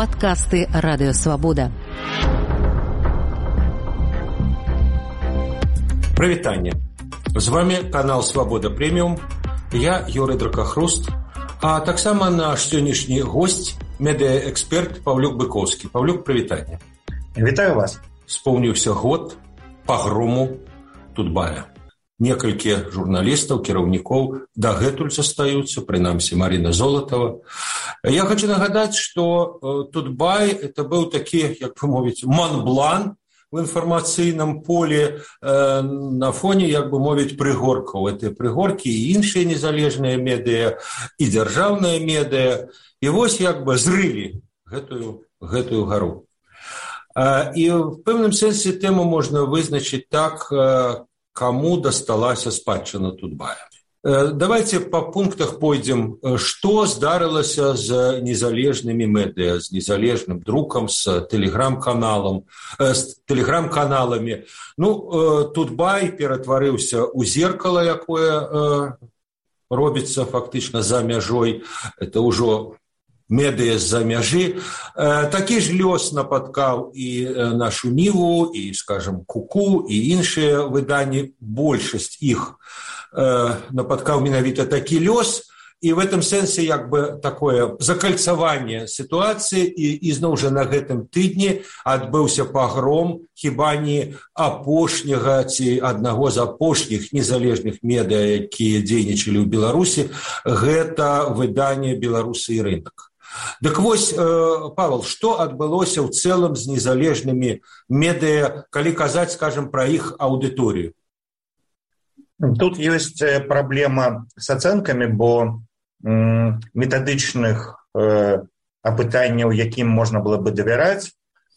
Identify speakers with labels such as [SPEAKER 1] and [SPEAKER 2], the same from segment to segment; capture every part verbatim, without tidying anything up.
[SPEAKER 1] Падкасты Радыё Свабода.
[SPEAKER 2] Прывітанне. З вами канал Свабода Прэміум. Я Юрый Дракахруст, а таксама наш сённяшні госць, медыаэксперт Паўлюк Быкоўскі. Паўлюк, прывітанне.
[SPEAKER 3] Вітаю вас.
[SPEAKER 2] Спомніўся год пагрому Тутбая. Некалькі журналістаў, кіраўнікоў дагэтуль застаюцца, прынамсі Марина Золотова. Я хочу нагадаць, што Тутбай это быў такі, як вы мовіць, Монблан в інфармацыйным поле э, на фоне, як бы мовіць, прыгоркаў. Это прыгоркі і іншыя незалежныя медыа, і дзяржаўныя медыа. І вось як бы зрылі гэтую, гэтую гару. Э, і в пэўным сэнсе тэму можна вызначыць так, э, кому дасталася спадчына Тутбая. Давайте по пунктах пойдем. Что здарылася з незалежнымі медыа, з незалежным друкам, з телеграм-каналам, з телеграм-каналамі. Ну, Тутбай ператварыўся ў зеркало, якое робіцца фактычна за мяжой. Это ўжо медыа з-за мяжы. Такі ж лёс напаткаў і нашу Ніву, і, скажем, Куку, і іншыя выданні. Большасць іх напаткаў менавіта такі лёс. І в этом сэнсе як бы такое закальцаванне сітуацыі. І, і зноў жа на гэтым тыдні адбыўся пагром хіба не апошняга ці аднаго з апошніх незалежных медыа, якія дзейнічалі ў Беларусі. Гэта выданне «Беларусы і рынок». Дык вось, Павел, што адбылося ў цэлым з незалежнымі медыа, калі казаць, скажем, пра іх аўдыторыю?
[SPEAKER 3] Тут ёсць праблема з ацэнкамі, бо м, метадычных э, апытанняў, якім можна было бы давяраць,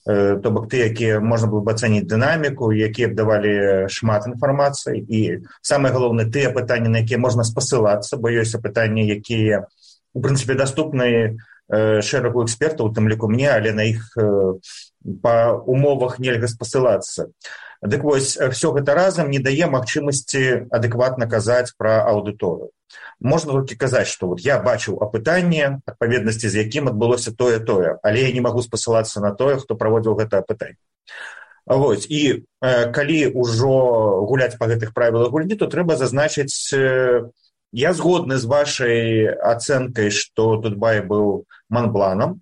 [SPEAKER 3] э, то бок ты, якія можна было бы ацэніць дынаміку, якія б давалі шмат інфармацыі, і самае галоўнае, тыя апытанні, на якія можна спасылацца, бо ёсць апытанні, якія, у прынцыпе, даступныя шэрагу экспертаў, у тым ліку мне, але на іх па умовах нельга спасылацца. Дык вось, все гэта разам не дае магчымасці адэкватна казаць пра аўдыторыю. Можна толькі казаць, што вот я бачыў апытанне, адпаведнасці з якім адбылося тое-тое, але я не магу спасылацца на тое, хто праводзіў гэта апытанне. Вось, і э, калі ўжо гуляць па гэтых правілах гульні, то трэба зазначыць, э, я згодны з вашай ацэнкай, што Тутбай быў Монбланам.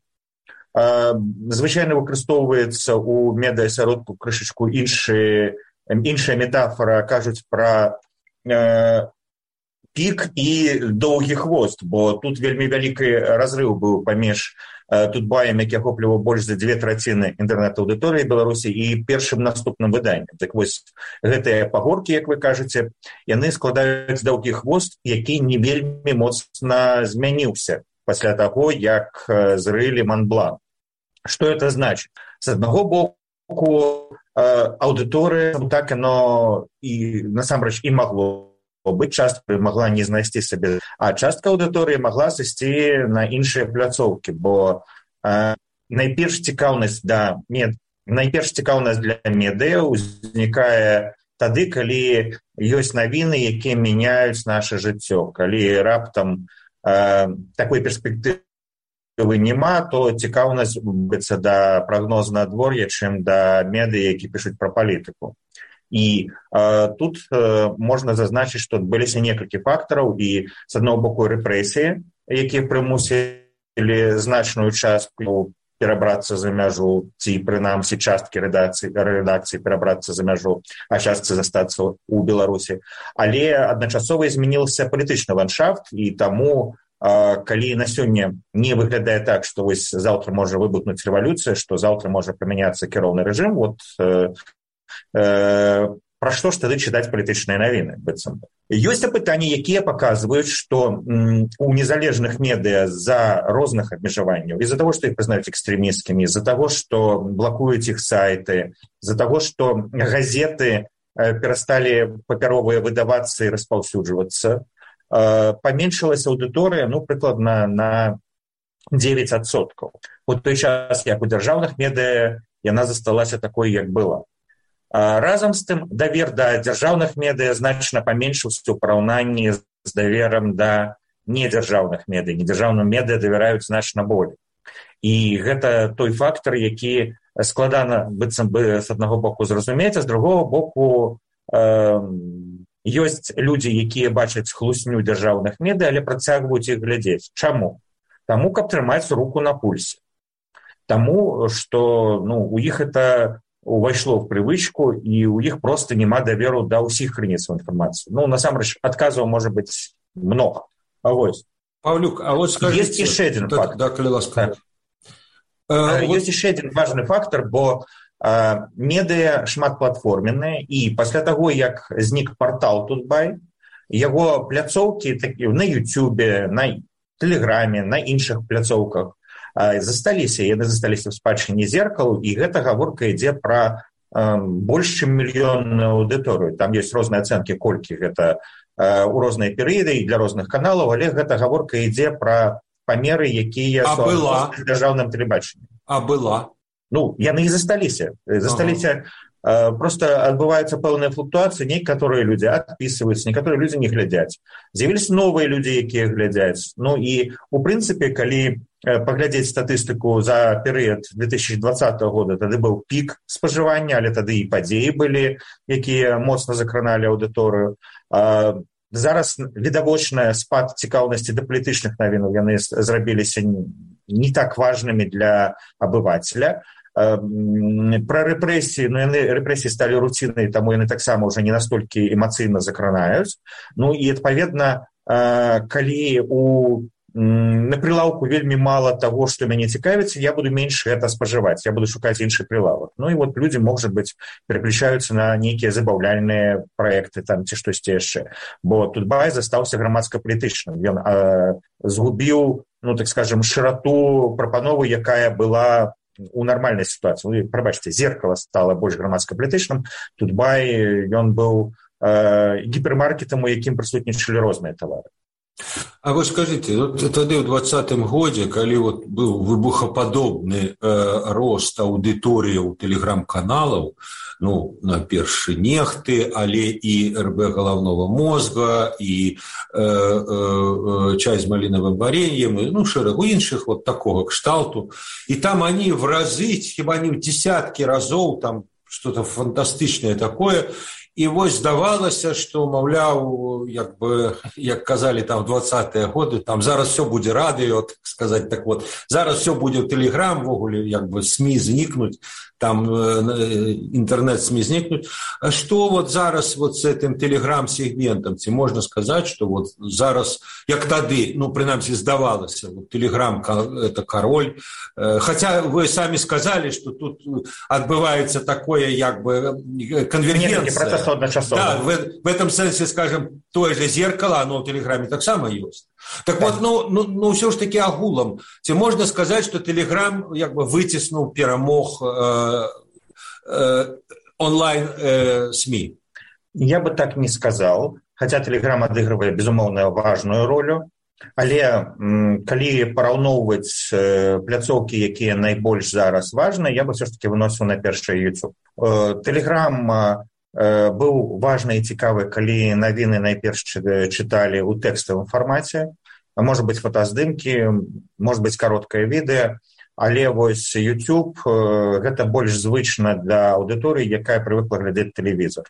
[SPEAKER 3] Звычайна выкарыстоўваецца ў медыасяродку крышачку іншая метафора, кажуць пра э, пік і доўгі хвост, бо тут вельмі вялікі разрыў быў паміж э, Тутбаем, які ахопліваў больш за дзве траціны інтэрнэт-аўдыторыі Беларусі, і першым наступным выданнем. Так вось, гэтыя пагоркі, як вы кажаце, яны складаюць доўгі хвост, які не вельмі моцна змяніўся пасля таго, як э, зрылі Монблан. Што это значыць? З аднаго боку, э, аўдыторыя, так яно і насамрэч і магло быць, частка магла не знайсці сабе, а частка аўдыторыі магла сысці на іншыя пляцоўкі, бо э, найперш цікаўнасць да мед... найперш цікаўнасць для медыа ўзнікае тады, калі ёсць навіны, якія мяняюць наша жыццё. Калі раптам э, такой перспектывы няма, то цікаўнасць быцца да прагнозу надвор'я, чым да медыа, які пішуць пра палітыку. І э, тут э, можна зазначыць, што адбыліся некалькі фактараў, і з аднаго боку рэпрэсіі, якія прымусілі значную частку перабрацца за мяжу, ці прынамсі часткі рэдакцыі, рэдакцыі перабрацца за мяжу, а частцы застацца ў Беларусі. Але адначасова змянілася палітычны ландшафт, і таму э, калі на сёння не выглядае так, што вось заўтра можа выбухнуць рэвалюцыя, што заўтра можа памяняцца кіроўны рэжым, вот э, Э, пра што ж тады чытаць палітычныя навіны, быццам. Ёсць апытанні, якія паказваюць, што м, у незалежных медыа з-за розных абмежаванняў, з-за таго, што іх прызнаюць экстрэмісцкімі, з-за таго, што блакуюць іх сайты, з-за таго, што газеты э, перасталі папяровыя выдавацца і распаўсюджвацца, э, паменшылася аўдыторыя, ну, прыкладна на дзевяць адсоткаў. У той час, як у дзяржаўных медыа, яна засталася такой, як была. Разам з тым, давер да дзяржаўных медыа значна паменшыўся ў параўнанні з даверам да недзяржаўных медыа. Недзяржаўным медыа давяраюць значна болей. і гэта той фактар, які складана быццам бы з аднаго боку зразумець, а з другого боку э, ёсць людзі, якія бачаць хлусню дзяржаўных медыя, але працягваюць іх глядзець. Чаму? Таму, каб трымаць руку на пульсе. Таму, што ну, у іх это увайшло в привычку, і у іх просто няма даверу да ўсіх крыніцаў інфармацыі. Ну, насамрэч, адказаў можа быць много. А вось.
[SPEAKER 2] Павлюк, а вот скажите...
[SPEAKER 3] Есть еще один
[SPEAKER 2] да,
[SPEAKER 3] фактор.
[SPEAKER 2] Да, коли ласка.
[SPEAKER 3] Да. Есть вот... еще один важный фактор, бо а, медыа шматплатформенные, і пасля таго, як знік партал Тутбай, яго пляцоўкі такі, на Ютубе, на Тэлеграме, на іншых пляцоўках а, засталіся, яны засталіся в спадчыне зеркалу, і гэта гаворка ідзе пра а, больш чым мільённую аўдыторыю. Там ёсць розныя ацэнкі, колькі гэта а, у розныя перыяды і для розных каналаў, але гэта гаворка ідзе пра памеры, якія
[SPEAKER 2] з
[SPEAKER 3] дзяржаўным тэлебачаннем.
[SPEAKER 2] А была?
[SPEAKER 3] Ну, яны і засталіся. Засталіся, ага. Просто адбываюцца пэўныя флуктуацыі, некаторыя людзі адпісваюцца, некаторыя людзі не глядзяць. З'явіліся новыя людзі, якія глядзяць. Ну і, у прынцыпе, калі паглядзець статыстыку за перыяд две тысячи двадцатого года, тады быў пік спажывання, але тады і падзеі былі, якія моцна закраналі аўдыторыю. Зараз відавочна спад цікаўнасці да палітычных навінаў, яны зрабіліся не так важнымі для абывацеля. Пра рэпрэсіі, ну яны рэпрэсіі сталі руцінай, таму яны таксама ўжо не настолькі эмацыйна закранаюць. Ну і адпаведна, калі у на прилаўку вельмі мала таго, што мяне цікавіцца, я буду менш гэта спажываць, я буду шукаць іншы прилавак. Ну і вот людзі, можа быць, пераключаюцца на нейкія забаўляльныя праекты там ці штосьці яшчэ. Бо Тутбай застаўся грамадска-палітычным. Ён э, згубіў, ну так скажем, шырату прапановы, якая была у нармальнай сітуацыі. Ну, прабачце, зеркало стала больш грамадска-палітычным. Тутбай, ён быў э, гіпермаркетам, у якім прысутнічалі розныя тавары.
[SPEAKER 2] А вы скажите, вот тады ў двадцатым годзе, калі вот быў выбухападобны э, рост аўдыторыяў тэлеграм-каналаў, ну, на першы нехты, але і РБ галаўнога мозга, і э, э, чай з малінавым вареньем, і, ну, шэрагу іншых вот такого кшталту. І там они в разы, хіба не в десятки разоў, там что-то фантастычнае такое. І вось здавалася, што, маўляў, як бы, як казалі там в двадцатыя годы, там зараз все будзе радыё, так сказаць, так вот, зараз все будзе ў Тэлеграм, ввогуле, як бы, СМИ знікнуць, там інтэрнэт-СМИ знікнуць. А што вот зараз вот с этим Тэлеграм-сегментам? Ці можна сказаць, што вот зараз, як тады, ну, прынамсі, здавалася, вот Тэлеграм – это король. Хотя вы самі сказалі, што тут адбываецца такое, як бы, конвергенция. Да, в, в этом сенсе, скажем, тое же зеркало, оно в Телеграме так само есть. Так да. Вот, ну, ну, ну, все ж таки агулом. Ці можно сказать, что Телеграм як бы вытеснул, перемог э, э, онлайн э, СМИ?
[SPEAKER 3] Я бы так не сказал, хотя Телеграм адыгрывае, безумоўна, важную роль. Але м, калі параўноўваць э, пляцоўкі, якія найбольш зараз важныя, я бы все ж таки выносіў на першы YouTube. Э, Телеграм быў важны і цікавы, калі навіны найперш чыталі ў тэкставым фармаце, можа быць фотаздымкі, можа быць кароткае відэа, але вось YouTube гэта больш звычна для аўдыторыі, якая прывыкла глядзець тэлевізор.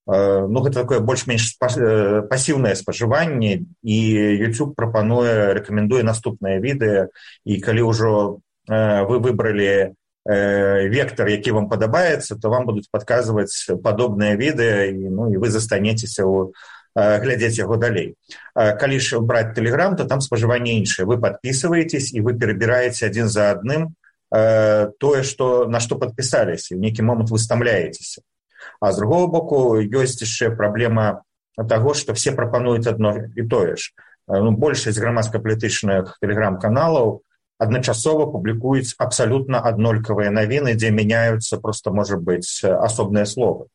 [SPEAKER 3] Ну, гэта такое больш-менш пасіўнае спажыванне, і YouTube прапануе, рэкамендуе наступнае відэа, і калі ўжо вы выбралі вектор, які вам падабаецца, то вам будуць падказваць падобныя відэа, і, ну, і вы застанецеся ў, глядзець яго далей. Калі ж браць Telegram, то там спажыванне іншае. Вы падпісваецесь, і вы перабіраеце адзін за адным тое, што, на што падпісаліся, і ў нейкі момант вы стамляецеся. А з другого боку, ёсць яшчэ праблема таго, што все прапануюць адно і тое ж. Ну, большасць грамадска-палітычных Telegram-каналаў адначасова публікуюць абсалютна аднолькавыя навіны, дзе мяняюцца проста, можа быць, асобныя словы.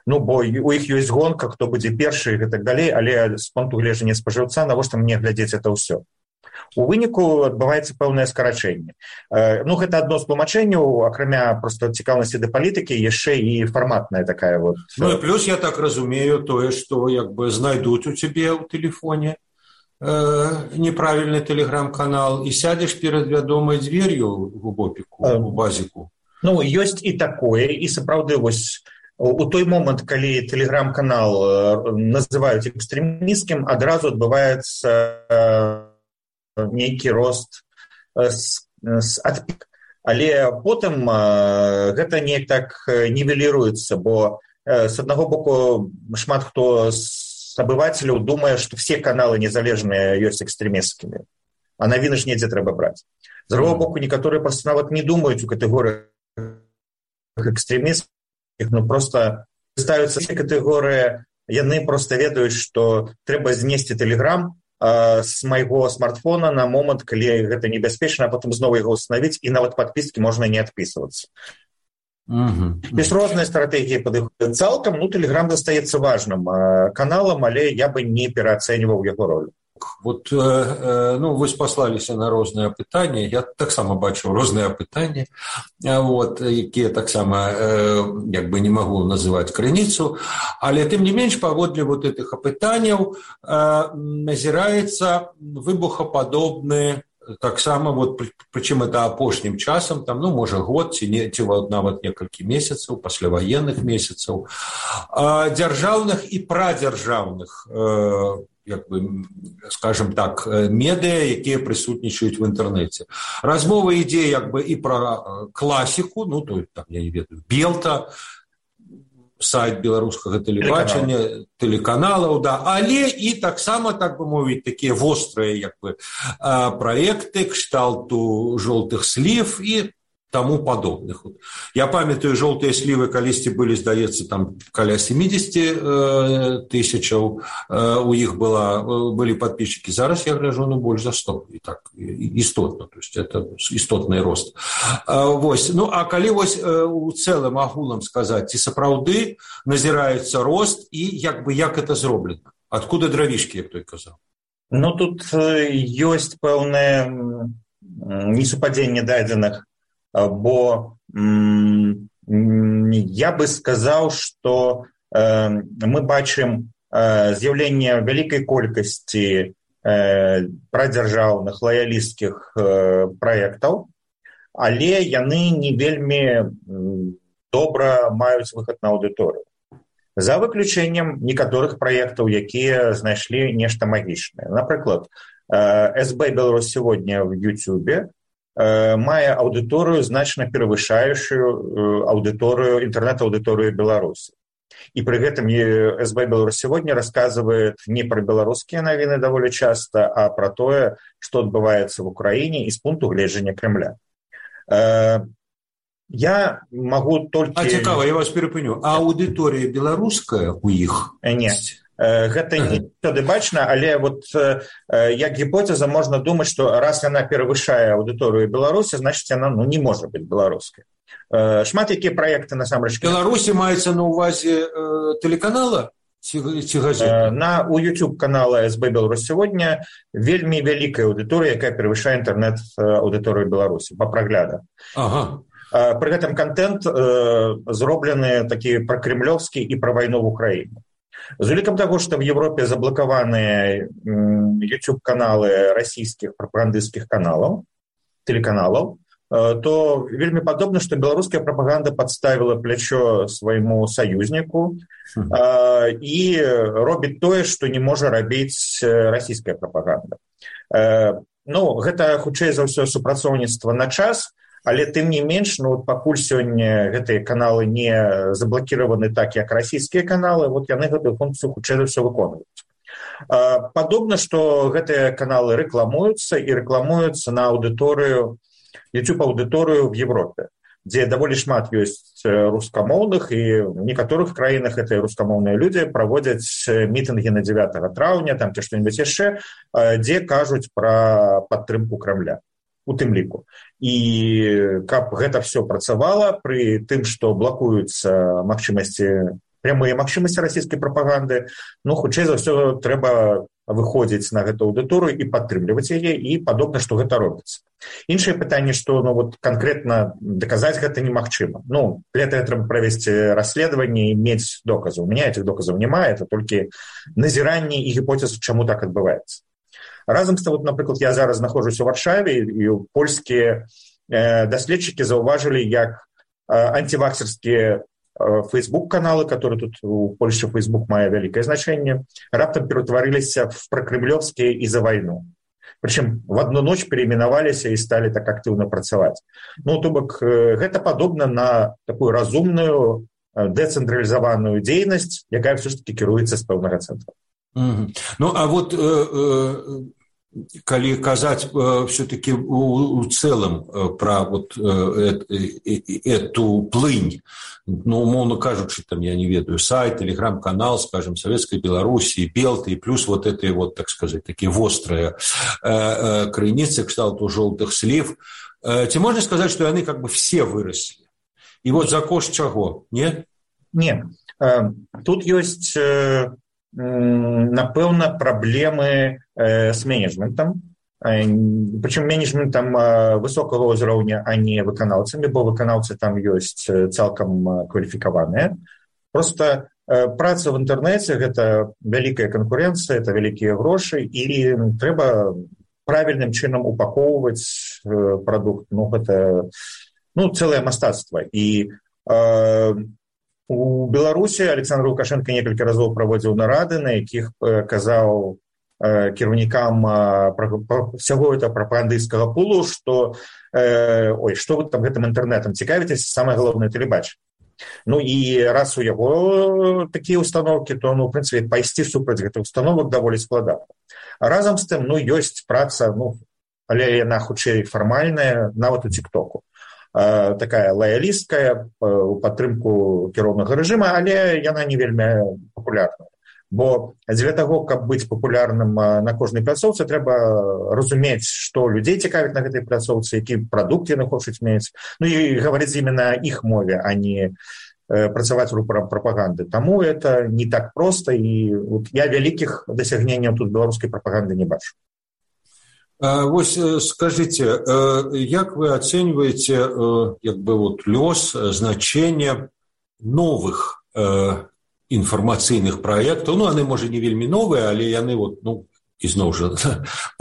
[SPEAKER 3] Ну, бо у іх ёсць гонка, хто будзе першы і так далей, але з пункту гледжання спажыўца, навошта мне глядзець это ўсё? У выніку адбываецца пэўнае скарачэнне. Ну, гэта адно з тлумачэнняў, акрамя проста цікаўнасці да палітыкі, яшчэ і фарматная такая вот.
[SPEAKER 2] Ну, і плюс, я так разумею, тое, што як бы знайдуць у цябе ў тэлефоне, э, неправільны тэлеграм-канал і сядзеш перад вядомай дзвер'ю у бопіку, у базіку?
[SPEAKER 3] Ну, ёсць і такое, і сапраўды вось у той момант, калі тэлеграм-канал называюць экстрэмісцкім, адразу адбываецца нейкі рост з адпік. Але потым гэта неяк так нівеліруецца, бо з аднаго боку шмат хто з абывацеляў думае, што все каналы незалежныя ёсць экстрэмісцкімі, а навіны ж недзе трэба браць. З другого боку, некаторыя проста нават не думаюць у катэгорыях экстремистов, ну просто ставятся все категории, яны просто ведаюць, што трэба знесці тэлеграм э, з майго смартфона на момант, калі гэта небяспечна, а потым зноў яго установіць, і нават падпіскі можна не адпісвацца. Mm-hmm. Без розныя стратэгіі падыходзяць цалкам, ну тэлеграм застаецца важным э, каналам, але я бы не пераацэньваў яго ролю.
[SPEAKER 2] Вот, э, ну, вось паслаліся на розныя пытанні, я таксама бачыў розныя пытанні, вот, якія таксама э, як бы не магу называць крыніцу, але тым не менш паводле вот этих апытанняў э, назіраецца выбухападобны таксама, вот, прычым это апошнім часам, там, ну, можа год ці, не, ці нават некалькі месяцаў, пасляваенных месяцаў, э, дзяржаўных і прадзяржаўных э, як бы, скажем так, медыа, якія прысутнічаюць в інтэрнэце. Размова ідзе як бы і пра класіку, ну, то, там, я не ведаю, Белта, сайт беларускага тэлебачання, тэлеканалаў, да, але і таксама, так бы мовіць, такія вострыя, як бы, праекты кшталту жоўтых слів і таму падобных. Я памятаю, жоўтыя слівы калісьці былі, здаецца, там каля семьдесят тысячаў у іх была, былі падписчики. Зараз я гляжу, ну, больш за сто. І так, істотна. То есть, это істотны рост. Вось. Ну, а калі вось у цэлым агулам сказаць, ці сапраўды назіраецца рост і як бы як это зроблена? Адкуда дравішкі, як той казаў?
[SPEAKER 3] Ну, тут ёсць пэўнае несупадзенне дадзеных, бо м, я бы сказаў, што э, мы бачым э, з'яўленне вялікай колькасці э, прадзяржаўных лаялісцкіх э, праектаў, але яны не вельмі добра маюць выхад на аўдыторыю. За выключэннем некаторых праектаў, якія знайшлі нешта магічнае. Напрыклад, э, эс бэ Беларусь сегодня в Ютубе мае аўдыторыю значна перавышаючую аўдыторыю, інтэрнэт-аўдыторыю Беларусі. І пры гэтым эс бэ Беларусь сегодня расказвае не пра беларускія навіны даволі часта, а пра тое, што адбываецца в Украіне і з пункту гледжання Кремля. Я магу толькі...
[SPEAKER 2] А цікава, я вас перапыню. А аўдыторыя беларуская у іх?
[SPEAKER 3] Не. Гэта не заўсёды бачна, але вот як гіпотэза можна думаць, што раз яна перавышае аўдыторыю Беларусі, значыць яна, ну, не можа быць беларускай. Шмат якія праекты насамрэч...
[SPEAKER 2] Беларусі маецца на ўвазе тэлеканала ці, ці газеты?
[SPEAKER 3] На у YouTube канала эс бэ Беларусь сегодня вельмі вялікая аўдыторыя, якая перавышае інтэрнэт аўдыторыю Беларусі па праглядах.
[SPEAKER 2] Ага.
[SPEAKER 3] Пры гэтым контент зроблены такі пра кремлёвскі і пра вайну в Украіне. З улікам таго, што в Европе заблакаваныя YouTube-каналы расійскіх прапагандысцкіх каналаў, тэлеканалаў, то вельмі падобна, што беларуская прапаганда падставіла плячо свайму саюзніку і робіць тое, што не можа рабіць расійская прапаганда. Ну, гэта, хутчэй за ўсё, супрацоўніцтва на час, але тым не менш, ну, пакуль сёння гэтыя каналы не заблакіраваны так, як расійскія каналы, вот яны гэтую функцыю хутчэй за ўсё выконваюць. Падобна, што гэтыя каналы рэкламуюцца і рэкламуюцца на аўдыторыю, YouTube-аўдыторыю в Европе, дзе даволі шмат ёсць рускамоўных, і в некаторых краінах гэтыя рускамоўныя людзі праводзяць мітынгі на дзевятага траўня, там ці што-небудзь яшчэ, дзе кажуць пра падтрымку Крамля. У тым ліку. І каб гэта все працавала пры тым, што блакуюцца магчымасці, прямыя магчымасці расійскай прапаганды, ну, хутчэй за ўсё трэба выходзіць на гэту аўдыторыю і падтрымліваць яе, і падобна, што гэта робіцца. Іншае пытанне, што, ну, вот канкрэтна даказаць гэта немагчыма. Ну, для этого трэба правесці расследаванне і мець доказы. У меня этих доказаў няма, это толькі назіранні і гіпотэзы, чаму так адбываецца. Разам з тым, вот, напрыклад, я зараз знаходжусь у Варшаве, і польскія э, даследчыкі заўважылі, як э, антиваксерскія Facebook-каналы, которые тут у Польше Facebook мае вялікае значэнне, раптам ператварыліся в прокремлёвскія і за вайну. Причем в одну ночь переименоваліся і сталі так актыўна працаваць. Ну, то бок, гэта падобна на такую разумную, дэцэнтралізаваную дзейнасць, якая все ж таки кіруецца з пэўнага цэнтра.
[SPEAKER 2] Mm-hmm. Ну, а вот э, э, калі казаць э, все-таки у, у целом э, про вот э, э, эту плынь, ну, умовно кажучи, там, я не ведаю, сайт, телеграм-канал, скажем, Советской Белоруссии, Белты, и плюс вот эти вот, так сказать, такие острые э, э, крыніцы, кшталту желтых слив, э, ці можна сказать, что они как бы все выросли? И вот за кошт чаго, не?
[SPEAKER 3] Не, э, тут есть... Э... напэўна, праблемы э, з менеджментам, э, прычым менеджментам э, высокага ўзроўня, а не выканаўцамі, бо выканаўцы там ёсць цалкам кваліфікаваныя. Просто э, праца в інтэрнэце – гэта вялікая канкурэнцыя, это вялікія грошы, і трэба правільным чынам упакоўваць э, прадукт. Ну, гэта ну, цэлае мастацтва. І э, у Беларусі Александр Лукашенко некалькі разоў праводзіў нарады, на якіх казаў э, кіраўнікам всяго этого прапагандысцкага пулу, што э, ой, што вы там гэтым інтэрнэтам цікавіцеся, самае галоўнае тэлебачанне. Ну і раз у яго такія установкі, то ну, в прынцыпе, пайсці супраць гэтых установак даволі складана. А разам з тым, ну, ёсць праца, ну, але яна хутчэй фармальная, нават у тик-току. Такая лоялісткая у падтрымку кіроўнага рэжыма, але яна не вельмі папулярная. Бо для таго, каб быць папулярным на кожнай пляцоўцы, трэба разумець, што людзей цікавіць на гэтай пляцоўцы, які прадукт яны хочуць мець, ну і гаварыць именно іх мове, а не працаваць рупарам прапаганды. Таму это не так проста, і вот я вялікіх дасягненняў тут беларускай прапаганды не бачу.
[SPEAKER 2] Вось скажите, як вы оцениваете як бы вот лёс, значение новых информацыйных проектаў? Ну, яны, можа, не вельмі новыя, але яны вот, ну, ізноў жа,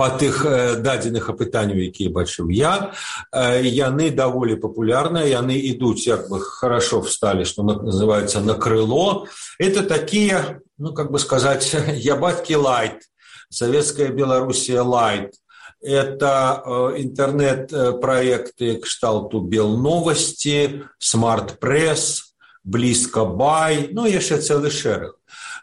[SPEAKER 2] па тых дадзеных апытанняў, якія бачыў я, яны даволі папулярныя, яны ідуць, як бы хорошо встали, что называется, на крыло. Это такие, ну, как бы сказать, Ябатки лайт, Советская Белоруссия лайт. Это э, интернет-проекты кшталту Белновости, Смарт-пресс, Близко-бай, ну, яшчэ цэлы шэраг.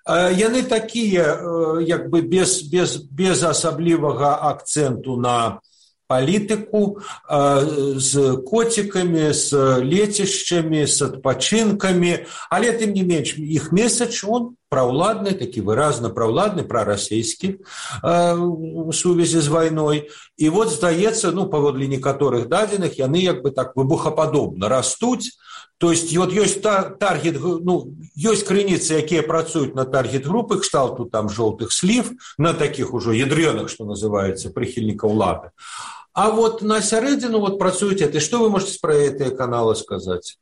[SPEAKER 2] Э, яны такія, э, як бы без, без, без асаблівага акцэнту на палітыку, э, з коцікамі, з лецішчамі, з адпачынкамі, але, тым не менш, іх месадж, он праўладны, такі выразна праўладны, прарасійскі э, у сувязі з вайной. І вот, здаецца, ну, паводле некаторых дадзеных, яны як бы так выбухападобна растуць. То есть вот ёсць таргет, ну, ёсць крыніцы, якія працуюць на таргет-групы, кшталту там жолтых слив, на таких ужо ядрёных, что называется, прихильников лады. А вот на сярэдзіну вот працуюць это. Что вы можете про эти каналы сказать?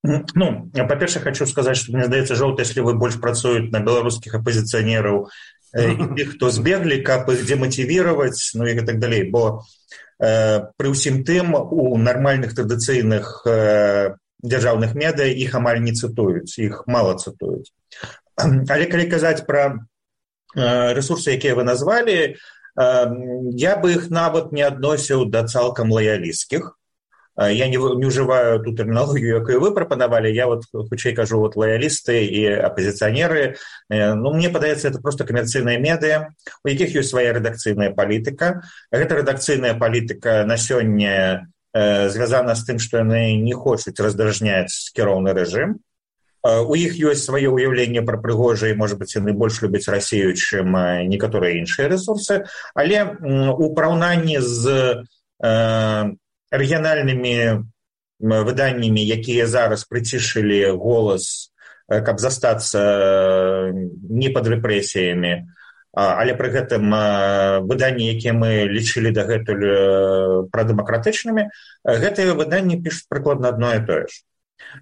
[SPEAKER 3] Ну, па-першае, хочу сказаць, што мне здаецца, жоўтыя слівы больш працуюць на беларускіх апазіцыянераў і тых, хто збеглі, каб іх демотивировать, ну і так далей. Бо э, пры ўсім тым у нармальных традыцыйных э, дзяржаўных медыя іх амаль не цытуюць, іх мала цытуюць. Але калі казаць пра э, рэсурсы, якія вы назвалі, э, я бы іх нават не адносіў да цалкам лаялісцкіх. Я не, не ўжываю ту тэрміналогію, якую вы прапанавалі, я вот хутчэй кажу, вот лаялісты і апазіцыянеры, ну, мне падаецца, это просто камерцыйныя медыа, у якіх ёсць свая рэдакцыйная палітыка. Гэта рэдакцыйная палітыка на сёння э, звязана з тым, што яны не хочуць раздражняць кіроўны рэжым. У іх ёсць сваё ўяўленне пра Прыгожа, і, можа быць, яны больш любяць Расію, чым некаторыя іншыя рэсурсы, але у параўнанні з э, рэгіянальнымі выданнямі, якія зараз прыцішылі голас, каб застацца не пад рэпрэсіямі, але пры гэтым выданні, якія мы лічылі дагэтуль прадэмакратычнымі, гэтыя выданні пішуць прыкладна адно і тое ж.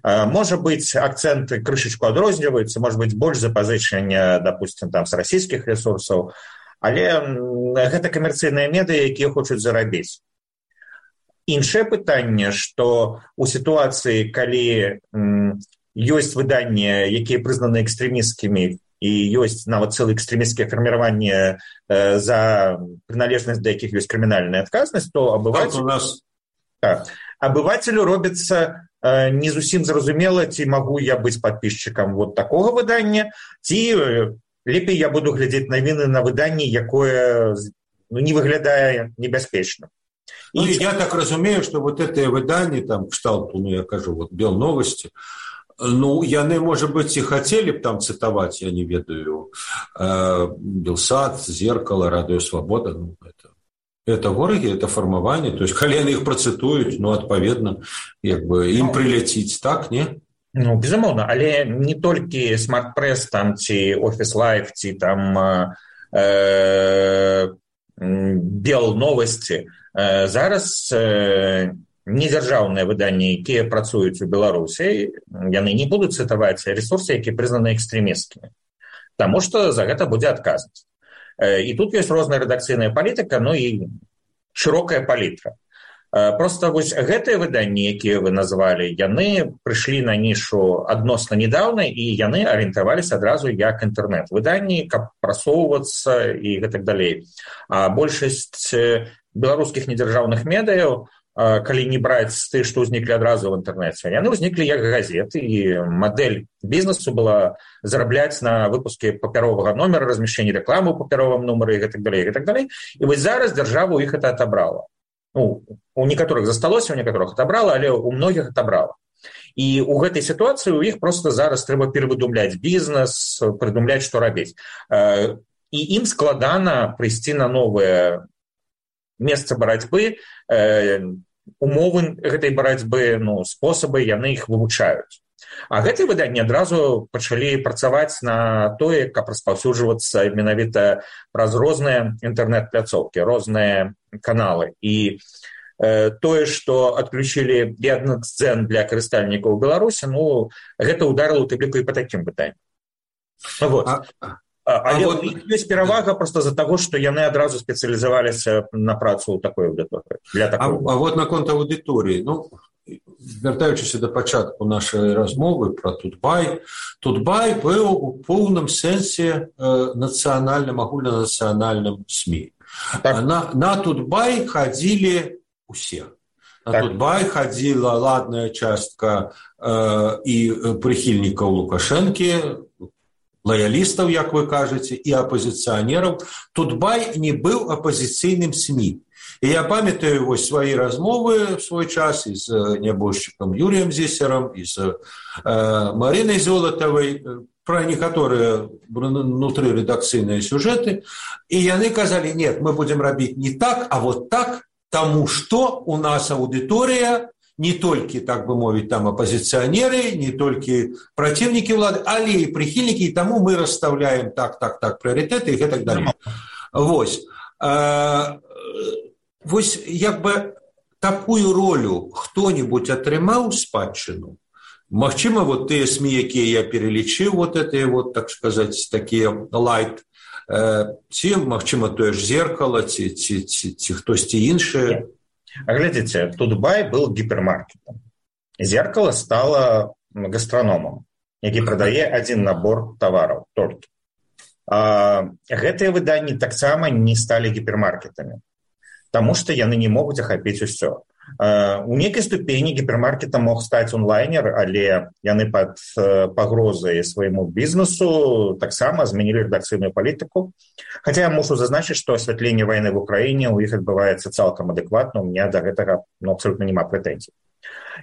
[SPEAKER 3] Можа быць, акцэнты крышачку адрозніваюцца, можа быць, больш запазычання, допустим, там, з расійскіх ресурсаў, Але гэта камерцыйныя медыа, якія хочуць зарабіць. Іншае пытанне, што ў сітуацыі, калі ёсць выданні, якія прызнаны экстрэмісцкімі, і ёсць нават цэлы экстрэмісцкія фарміраванні за прыналежнасць, да якіх ёсць крымінальная адказнасць, то абывацелю, нас... так, абывацелю робіцца не зусім зразумела, ці магу я быць падпісчыкам вот такога выдання, ці лепей я буду глядзець навіны на выданні, якое ну, не выглядае небяспечна.
[SPEAKER 2] Ну, и я так разумею, что вот это выдание, там, кшталту, ну, я кажу, вот, Белновости, ну, яны, может быть, и хотели бы там цитовать, я не ведаю, э, Белсат, Зеркало, Радио Свобода, ну, это, это вороги, это формование, то есть, коли яны их процитуют, ну, отповедно, как бы, им прилететь, так, не?
[SPEAKER 3] Ну, безумоўна, але не толькі Смарт-Пресс, там, ці Офіс Лайф, ці там э, Белновости, э, зараз э, недзяржаўныя выданні, якія працуюць у Беларусі, яны не будуць цытаваць ресурсы, якія прызнаны экстрэмісцкімі, таму што за гэта будзе адказнасць. Э, і тут ёсць розная рэдакцыйная палітыка, ну і шырокая палітра. Просто вось гэтыя выданні, якія вы назвалі, яны прыйшлі на нішу адносна недаўна, і яны арыентаваліся адразу як інтэрнэт-выданні, каб прасоўвацца і гэтак далей. А большасць беларускіх недзяржаўных медыяў, калі не браць з тых, што ўзніклі адразу ў інтэрнэце, яны ўзніклі як газеты, і мадэль бізнесу была зарабляць на выпуске папяровага номера, размяшчэнні рэкламы ў папяровым нумары і гэтак далей, і гэтак далей. І вось зараз дзяржава ў іх гэта атабрала. Ну, у некаторых засталося, у некаторых отобрала, але у многіх отобрала. І у гэтай сітуацыі у іх просто зараз трэба перавыдумляць бізнес, прыдумляць, што рабіць. І ім складана прыйсці на новае месца барацьбы, умовы гэтай барацьбы, ну, спосабы, яны іх вывучаюць. А гэтыя выданні адразу пачалі працаваць на тое, каб распаўсюджвацца менавіта праз розныя інтэрнэт-пляцоўкі, розныя каналы. І э, тое, што адключылі Яндекс.Дзен для карыстальнікаў Беларусі, ну, гэта ударыла ў тым ліку і па такім пытанні. Вот. А, Але а вот... ёсць перавага проста з-за таго, што яны адразу спецыялізаваліся на працу ў такой аўдыторыі.
[SPEAKER 2] А, а вот наконт аўдыторыі, ну, вяртаючыся да пачатку нашай размовы пра Тутбай, Тутбай быў у поўным сэнсе э, нацыянальным, агульнанацыянальным СМІ. Так. На, на Тутбай хадзілі усе. На так. Тутбай хадзіла ладная частка э, і прыхільнікаў Лукашэнкі, лаялістаў, як вы кажаце, і апазіцыянераў. Тутбай не быў апазіцыйным СМІ. І я памятаю вось свае размовы в свой час і з нябожчыкам Юрыем Зесерам, і з э, Марынай Золатавай пра некаторыя внутры рэдакцыйныя сюжэты. І яны казалі, нет, мы будзем рабіць не так, а вот так, таму што у нас аўдыторыя не толькі, так бы мовіць, там апазіцыянеры, не толькі праціўнікі ўлады, але і прыхільнікі, і таму мы расстаўляем так, так, так прыярытэты і гэтак далей. Вось. Э, Вось, як бы, такую ролю хто-нибудь атрымаў спадчыну. Магчыма, вот тыя СМІ, якія я перелічыў, вот это, вот, так сказаць, такія лайт, э, ці, магчыма, тое ж Зеркало, ці, ці, ці, ці хтосьці іншае.
[SPEAKER 3] Глядзіце, Тутбай был гіпермаркетом. Зеркало стало гастраномом, які прадае адзін набор тавараў толькі. А гэтыя выданні таксама не сталі гіпермаркетамі, таму што яны не могуць ахапіць усё. У нейкай ступені гіпермаркетам мог стаць онлайнер, але яны пад пагрозай свайму бізнесу таксама змянілі рэдакцыйную палітыку. Хаця я мушу зазначыць, што асвятленне вайны в Украіне ў іх адбываецца цалкам адэкватна, у меня да гэтага ну, абсолютна няма прэтэнзій.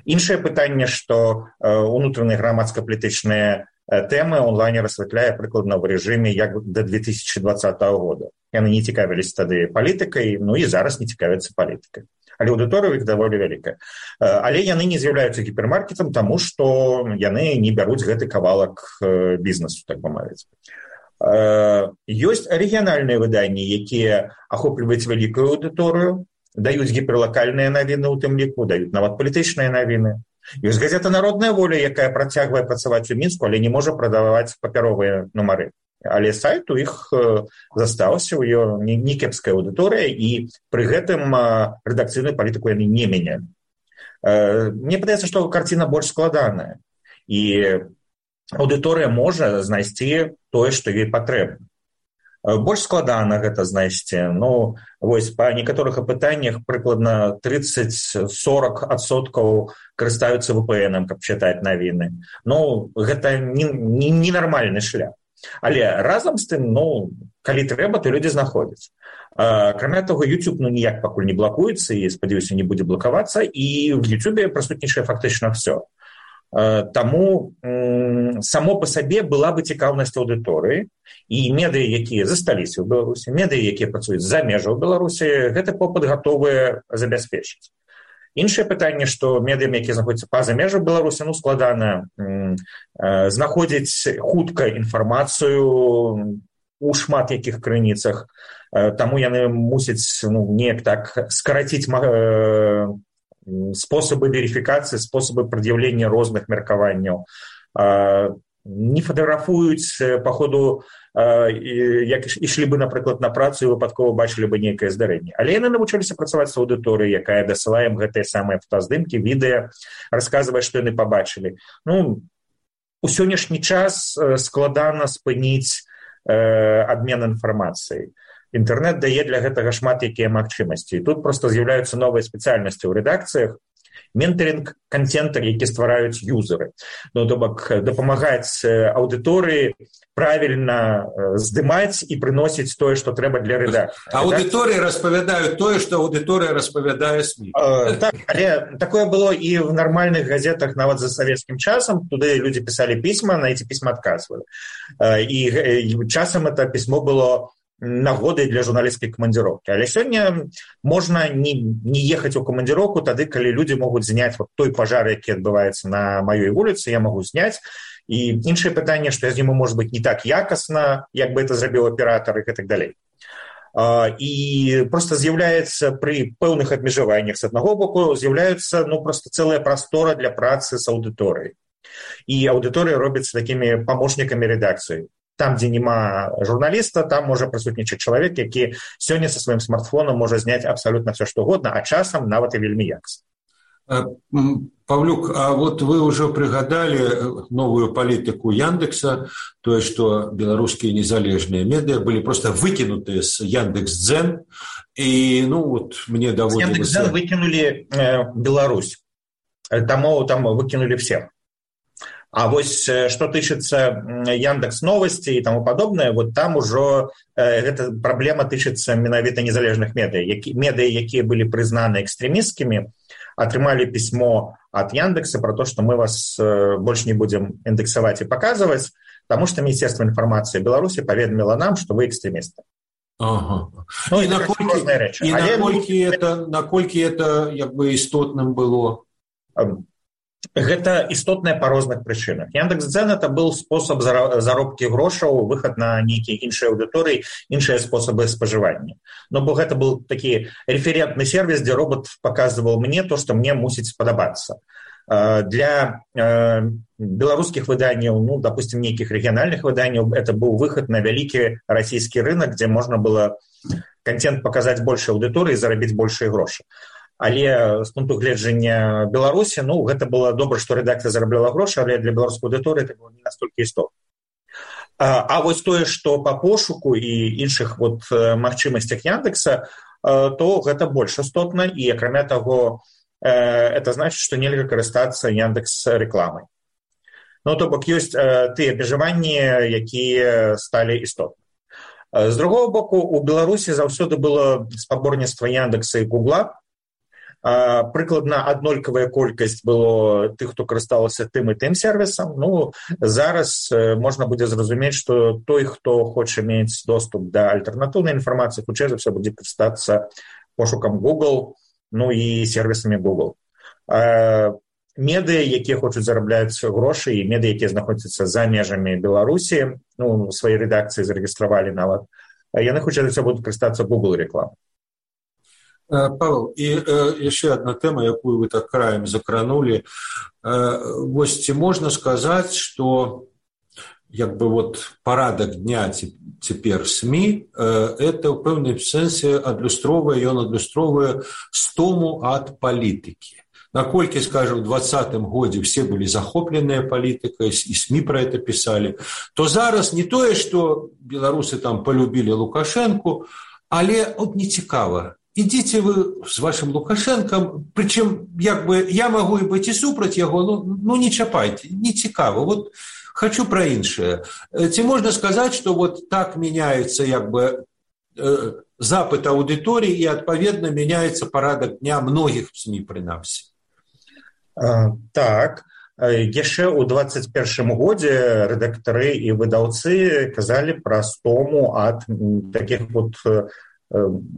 [SPEAKER 3] Іншае пытанне, што унутраныя грамадска-палітычныя тэмы онлайнер асвятляе прыкладна ў рэжыме як да две тысячи двадцатого года. Яны не цікавіліся тады палітыкай, ну і зараз не цікавяцца палітыкай. Але аўдыторыя іх даволі вялікая. Але яны не з'яўляюцца гіпермаркетам, таму што яны не бяруць гэты кавалак бізнесу, так бы мовіць. Ёсць рэгіянальныя выданні, якія ахопліваюць вялікую аўдыторыю, даюць гіперлакальныя навіны ў тым ліку, даюць нават палітычныя навіны. Ёсць газета «Народная воля», якая працягвае працаваць у Мінску, але не можа прадаваць папяровыя нумары. але сайт у іх застаўся, у ёй некепская аўдыторыя, і пры гэтым рэдакцыйную палітыку яны не мянялі. Мне падаецца, што карціна больш складаная, і аўдыторыя можа знайсці тое, што ёй патрэбна. Больш складана гэта знайсці. Ну, вось, па некаторых апытаннях прыкладна трыццаць-сорок адсоткаў карыстаюцца вэ пэ эн, каб чытаць навіны. Ну, гэта ненармальны шлях. Але разам з тым, ну, калі трэба, то людзі знаходзяць. Акрамя таго, YouTube ну, ніяк пакуль не блакуецца, і, спадзяюся, не будзе блакавацца, і в YouTube прысутнічае фактычна ўсё. Таму само па сабе была бы цікаўнасць аўдыторыі, і медыі, якія засталіся ў Беларусі, медыі, якія працуюць за межаў Беларусі, гэты попыт гатовыя забяспечыць. Іншае пытанне, што медыям, якія знаходзяцца па-за межах Беларусі, ну, складана знаходзіць хутка інфармацыю у шмат якіх крыніцах, таму яны мусяць ну, неяк так скараціць способы верификации, способы предъявления розных меркаванняў. Не фотографуюць по ходу, як ішлі бы, напрыклад, на працу і выпадкова бачылі бы нейкае здарэнне. Але яны навучыліся працаваць з аўдыторыяй, якая дасылае ім гэтыя самыя фотаздымкі, відэа, расказвае, што яны пабачылі. Ну, у сённяшні час складана спыніць абмен інфармацыяй. Інтэрнэт дае для гэтага шмат якія магчымасці. І тут проста з'яўляюцца новыя спецыяльнасці ў рэдакцыях. Менторинг контента, які ствараюць юзеры. Ну, то бок дапамагаць аўдыторыі правільна здымаць і прыносіць тое, што трэба для рэдакцыі.
[SPEAKER 2] Аўдыторыі распавядаюць тое, што аўдыторыя распавядае СМІ.
[SPEAKER 3] Э, так, але такое было і в нармальных газетах нават за савецкім часам. Туды людзі пісалі пісьма, на эти пісьма адказвалі. Э, і, і часам это пісьмо было нагодай для журналісцкай камандзіроўкі. Але сёння можна не, не ехаць у камандзіроўку тады, калі людзі могуць зняць вот той пажар, які адбываецца на маёй вуліцы, я магу зняць. І іншае пытанне, што я зніму, можа быць, не так якасна, як бы это зрабіў аператар і так далей. І проста з'яўляецца пры пэўных абмежаваннях з аднаго боку, з'яўляецца ну, проста цэлая прастора для працы з аўдыторыяй. І аўдыторыя робіцца такімі памочнікамі рэдакцыі. Там, дзе няма журналіста, там можа прысутнічаць чалавек, які сёння са сваім смартфонам можа зняць абсалютна все, што угодно, а часам нават і вельмі якасна.
[SPEAKER 2] Павлюк, а вот вы ўжо прыгадалі новую палітыку Яндекса, тое, што беларускія незалежныя медыа былі проста выкінутыя з Яндекс.Дзен, і ну вот мне даводзілася...
[SPEAKER 3] Яндекс.Дзен выкінулі э, Беларусь, таму там выкінулі всех. А вось што тычыцца Яндекс новости і таму падобнае, вот там ужо э, гэта праблема тычыцца менавіта незалежных медыа. Які, медыа, якія былі прызнаны экстрэмісткімі, атрымалі пісьмо ад Яндекса про то, што мы вас э, больш не будзем індэксаваць і паказваць, таму што Міністэрства інфармацыі Беларусі паведаміла нам, што вы экстрэмісты.
[SPEAKER 2] Ага. Ну, і наколькі, і наколькі, это, наколькі это як бы істотным было?
[SPEAKER 3] Гэта істотнае па розных прычынах. Яндекс.Дзен это быў спосаб заробкі грошаў, выхад на нейкія іншыя аўдыторыі, іншыя спосабы спажывання. Ну, бо гэта быў такі референтны сервіс, дзе робот паказваў мне то, што мне мусіць спадабацца. Для беларускіх выданняў, ну, допустим, нейкіх рэгіянальных выданняў, это быў выхад на вялікі расійскі рынок, дзе можна было контент паказаць большай аўдыторыі і зарабіць большыя грошы. Але з пункту гледжання Беларусі, ну, гэта было добра, што рэдакцыя зарабляла грошы, але для беларускай аўдыторыі это было не настолькі істотна. А, а вось тое, што па пошуку і іншых вот магчымасцях Яндекса, то гэта больш істотна, і акрамя таго, это значыць, што нельга карыстацца Яндекс рэкламай. Ну, то бок ёсць тыя абмежаванні, якія сталі істотны. З другого боку, у Беларусі заўсёды было спаборніцтва Яндекса і Гугла. Прыкладна аднолькавая колькасць было тых, хто карысталася тым і тым сервісам. Ну, зараз можна будзе зразумець, што той, хто хоча мець доступ да альтэрнатыўнай інфармацыі, хутчэй за ўсё будзе карыстацца пошукам Google, ну і сервісамі Google. Медыа, якія хочуць зарабляць грошы, і медыа, якія знаходзяцца за межамі Беларусі, ну, свае рэдакцыі зарэгістравалі нават, яны хутчэй за ўсё будуць карыстацца Google рэкламай.
[SPEAKER 2] Павел, і э, яшчэ одна тэма, якую вы так краем закранули. Э, вось ці можна сказаць, што як бы вот парадак дня цяпер СМІ, это ў пэўным сэнсе адлюстроўвае, ён адлюстроўвае стому ад палітыкі. Наколькі, скажем, в двадцатым годзе все былі захопленыя палітыкай, і СМІ про это пісалі, то зараз не тое, што беларусы там полюбілі Лукашэнку, але от не цікава. Ідзіце вы з вашым Лукашэнкам, прычым як бы я магу і быць і супраць яго, ну, ну не чапайце, не цікава. Вот хочу про іншае. Ці можна сказаць, што вот так меняецца як бы э, запыт аўдыторыі і адпаведна меняецца парадак дня многіх СМІ прынамсі.
[SPEAKER 3] Так, яшчэ ў двадцать першым годзе рэдактары і выдаўцы казалі пра стому ад такіх вот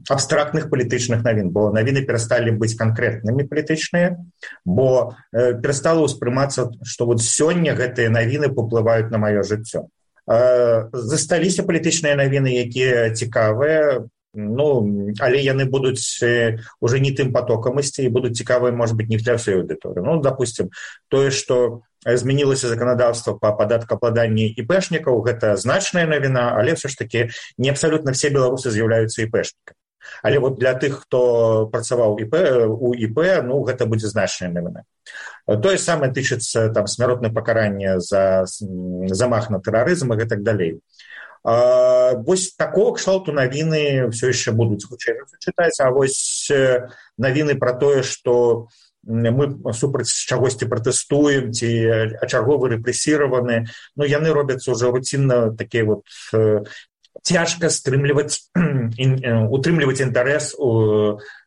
[SPEAKER 3] абстрактных палітычных навін, бо навіны перасталі быць канкрэтнымі палітычныя, бо перастала ўспрымацца, што вот сёння гэтыя навіны паўплываюць на маё жыццё. Засталіся палітычныя навіны, якія цікавыя, ну, але яны будуць уже не тым потокам ісці і будуць цікавыя, может быть, не для всей аўдыторыі. Ну, допустим, тое, што змянілася заканадаўства па падаткаабкладанні іпэшнікаў, гэта значная навіна, але все ж таки не абсалютна все беларусы з'яўляюцца іпэшнікамі. Але вот для тых, хто працаваў ІП, у ІП, ну, гэта будзе значная навіна. Тое самае тычыцца там смяротнае пакаранне за замах на тэрарызм і гэтак далей. А, вось такого кшталту навіны все яшчэ будуць хутчэй чытаць, а вось навіны пра тое, што мы супраць чагосьці пратэстуем ці ачарговы рэпрэсіраваны, ну яны робяцца ўжо руцінна такія вот цяжка стрымліваць утрымліваць інтарэс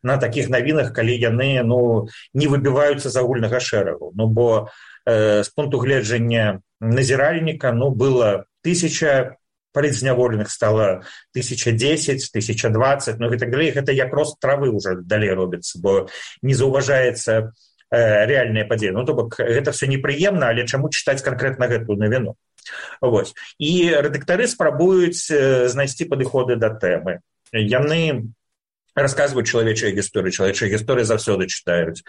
[SPEAKER 3] на такіх навінах, калі яны ну не выбіваюцца з агульнага шэрагу. Ну бо э, з пункту гледжання назіральніка ну было тысяча палітзняволеных, стала тысяча дзесяць, тысяча дваццаць, ну і так далей. Гэта як рост травы ўжо далей робіцца, бо не заўважаецца э, рэальныя падзеі. Ну то бок гэта все непрыемна, але чаму чытаць канкрэтна гэтую навіну? Вось. І рэдактары спрабуюць э, знайсці падыходы да тэмы. Яны расказваюць чалавечыя гісторыі, чалавечыя гісторыі заўсёды чытаюць.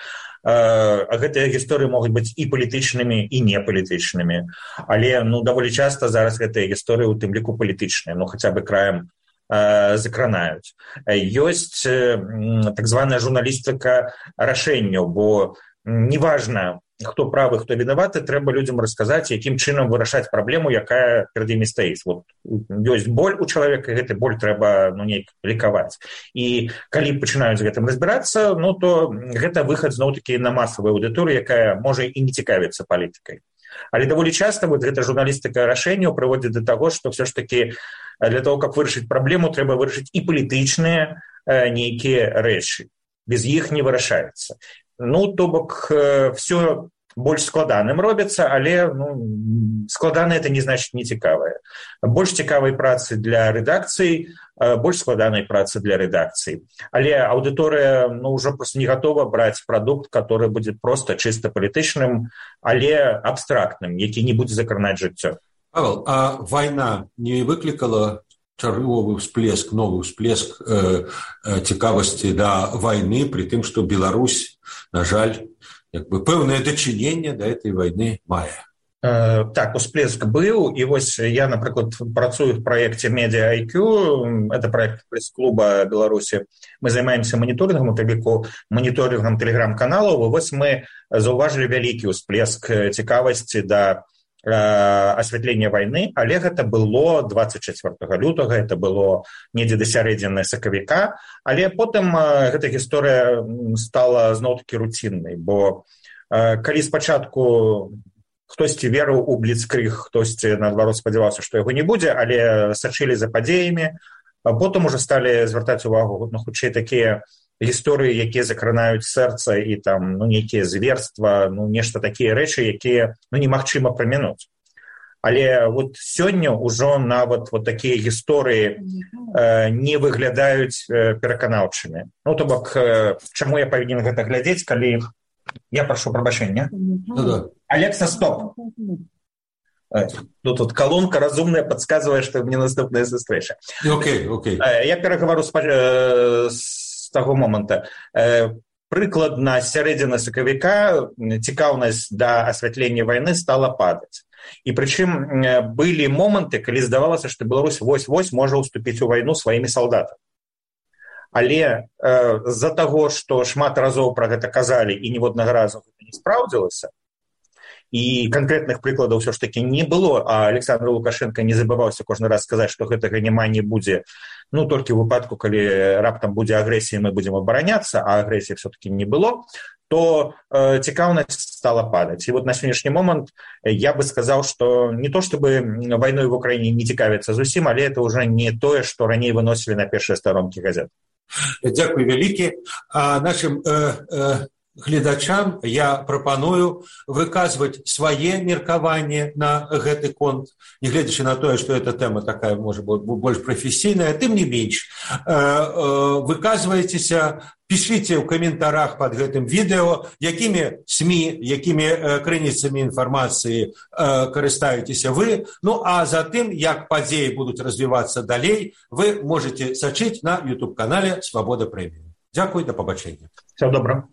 [SPEAKER 3] А гэтыя гісторыі могуць быць і палітычнымі, і непалітычнымі. Але ну, даволі часта зараз гэтыя гісторыі у тым ліку палітычныя, ну хаця бы краем э, закранаюць. Ёсць э, так званая журналістыка рашэнняў, бо неважна, хто правы, хто вінаваты, трэба людзям расказаць, якім чынам вырашаць праблему, якая перад імі стаіць. Вот, ёсць боль у чалавека, і гэты боль трэба ну, неяк лікаваць. І калі пачынаюць з гэтым разбірацца, ну, то гэта выхад зноў-такі на масавую аўдыторыю, якая можа і не цікавіцца палітыкай. Але даволі часта вот, гэта журналістыка рашэнняў прыводзіць да таго, што все ж такі для того, каб вырашыць праблему, трэба вырашыць і палітычныя э, нейкія рэчы. Без іх не вырашаецца. Ну, то бок, э, все больш складаным робіцца, але ну, складана это не значыць не цікавае. Больш цікавай працы для рэдакцыі, больш складанай працы для рэдакцыі. Але аўдыторыя ну, ўжо просто не гатова браць прадукт, который будзе проста чыста палітычным, але абстрактным, які не будзе закранаць жыццё.
[SPEAKER 2] Павел, а вайна не выклікала чарговы всплеск, новы всплеск э, э, цікавасці да вайны, при тым, што Беларусь, на жаль, як бы пэўнае дачыненне да этой вайны мае.
[SPEAKER 3] Э, так, усплеск быў, і вось я, напрыклад, працую в праекце Media ай кью, это праект прэс-клуба Беларусі. Мы займаемся моніторынгам, у тэліку моніторынгам тэлеграм-каналаў, і вось мы заўважылі вялікі ўсплеск цікавасці да асвятлення вайны, але гэта было двадцать чацвёртага лютага, это было недзе да сярэдзіны сакавіка, але потым гэта гісторыя стала зноў-такі руціннай, бо калі спачатку хтосьці верыў у бліцкрыг, хтосьці наадварот спадзяваўся, што яго не будзе, але сачылі за падзеямі, а потым уже сталі звяртаць увагу на хутчэй такія гісторыі, якія закранаюць сэрца і там ну, нейкія зверства, ну, нешта такія рэчы, якія ну, немагчыма прамінуць. Але вот сёння ўжо нават вот такія гісторыі э, не выглядаюць э, пераканаўчымі. Ну, то бок, э, чаму я павінен гэта глядзець, калі... Я прашу прабачэння.
[SPEAKER 2] Ну-да.
[SPEAKER 3] Алекса, стоп! Ну, тут колонка разумная подсказывает, что мне наступная встреча.
[SPEAKER 2] Окей, окей.
[SPEAKER 3] Я пераговору с, э, с того момента. Э, прыкладна сярэдзіна сакавіка цікаўнасць да асвятлення вайны стала падаць. І прычым былі моманты, калі здавалася, што Беларусь вось-вось можа ўступіць у вайну сваімі салдатамі. Але э, з-за таго, што шмат разоў пра гэта казалі і ніводнага разу гэта не спраўдзілася, і канкрэтных прыкладаў ўсё ж такі не было, а Александр Лукашенко не забываўся кожны раз сказаць, што гэтага няма не будзе, ну, толькі ў выпадку, калі раптам будзе агрэсія, мы будзем абараняцца, а агрэсіі все-таки не было, то э, цікаўнасць стала падаць. І вот на сённяшні момант я бы сказаў, што не то, чтобы вайной в Украіне не цікавіцца зусім, але это ўжо не тое, што раней выносілі на першыя старонкі газет.
[SPEAKER 2] Дзякуй вялікі. А нашым э, э... гледачам я прапаную выказваць свае меркаванні на гэты конт, нягледзячы на тое, што эта тэма такая, можа, больш прафесійная, тым не менш. Выказвайцеся, пішыце ў каментарах пад гэтым відэо, якімі СМІ, якімі крыніцамі інфармацыі карыстаецеся вы. Ну, а затым, як падзеі будуць развівацца далей, вы можете сачыць на YouTube-канале «Свабода Прэміум». Дзякуй, да пабачэння.
[SPEAKER 3] Всего доброго.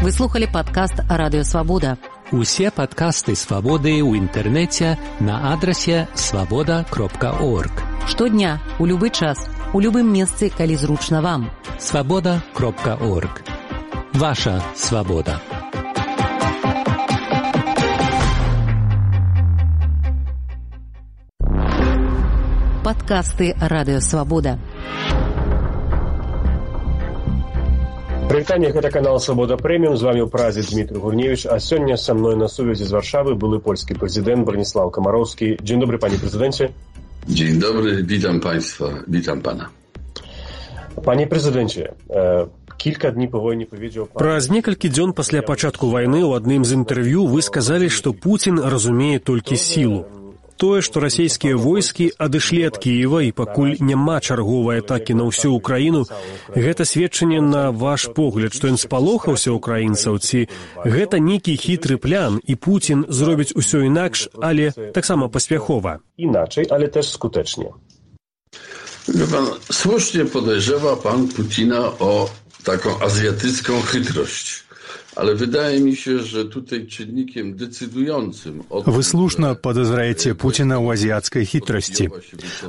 [SPEAKER 1] Вы слухали падкаст «Радыё Свабода».
[SPEAKER 4] Усе падкасты «Свабоды» ў інтэрнэце на адрасе свабода кропка орг.
[SPEAKER 1] Штодня, у любы час, у любым месцы, калі зручна вам.
[SPEAKER 4] свабода кропка орг. Ваша свабода.
[SPEAKER 1] Падкасты «Радыё Свабода».
[SPEAKER 5] Прывітанне, гэта канал «Свабода Прэміум». З вами ў празе Дмітрый Гурневич, а сёння са мной на сувязі з Варшавы былы польскі прэзідэнт Браніслаў Камароўскі. Dzień dobry, panie prezydencie.
[SPEAKER 6] Dzień dobry, witam państwa, witam pana.
[SPEAKER 5] Panie prezydencie, кілька дней па войне паведзеў...
[SPEAKER 7] Праз некалькі дзён пасля пачатку вайны ў адным з інтэрв'ю вы сказалі, што Пуцін разумее толькі сілу. Тое, што расійскія войскі адышлі ад Кіева і пакуль няма чарговай атакі на ўсю Украіну, гэта сведчанне на ваш погляд, што ён спалохаўся ўкраінцаў, ці гэта нейкі хітры план, і Пуцін зробіць усё інакш, ale таксама паспяхова.
[SPEAKER 5] Inaczej, ale też skutecznie.
[SPEAKER 6] Wie pan, słusznie podejrzewa pan Putina o taką azjatycką chytrość. Ale wydaje mi się, że tutaj czynnikiem decydującym...
[SPEAKER 8] Вы слушна падазраеце Пуціна ў азіяцкай хітрасці.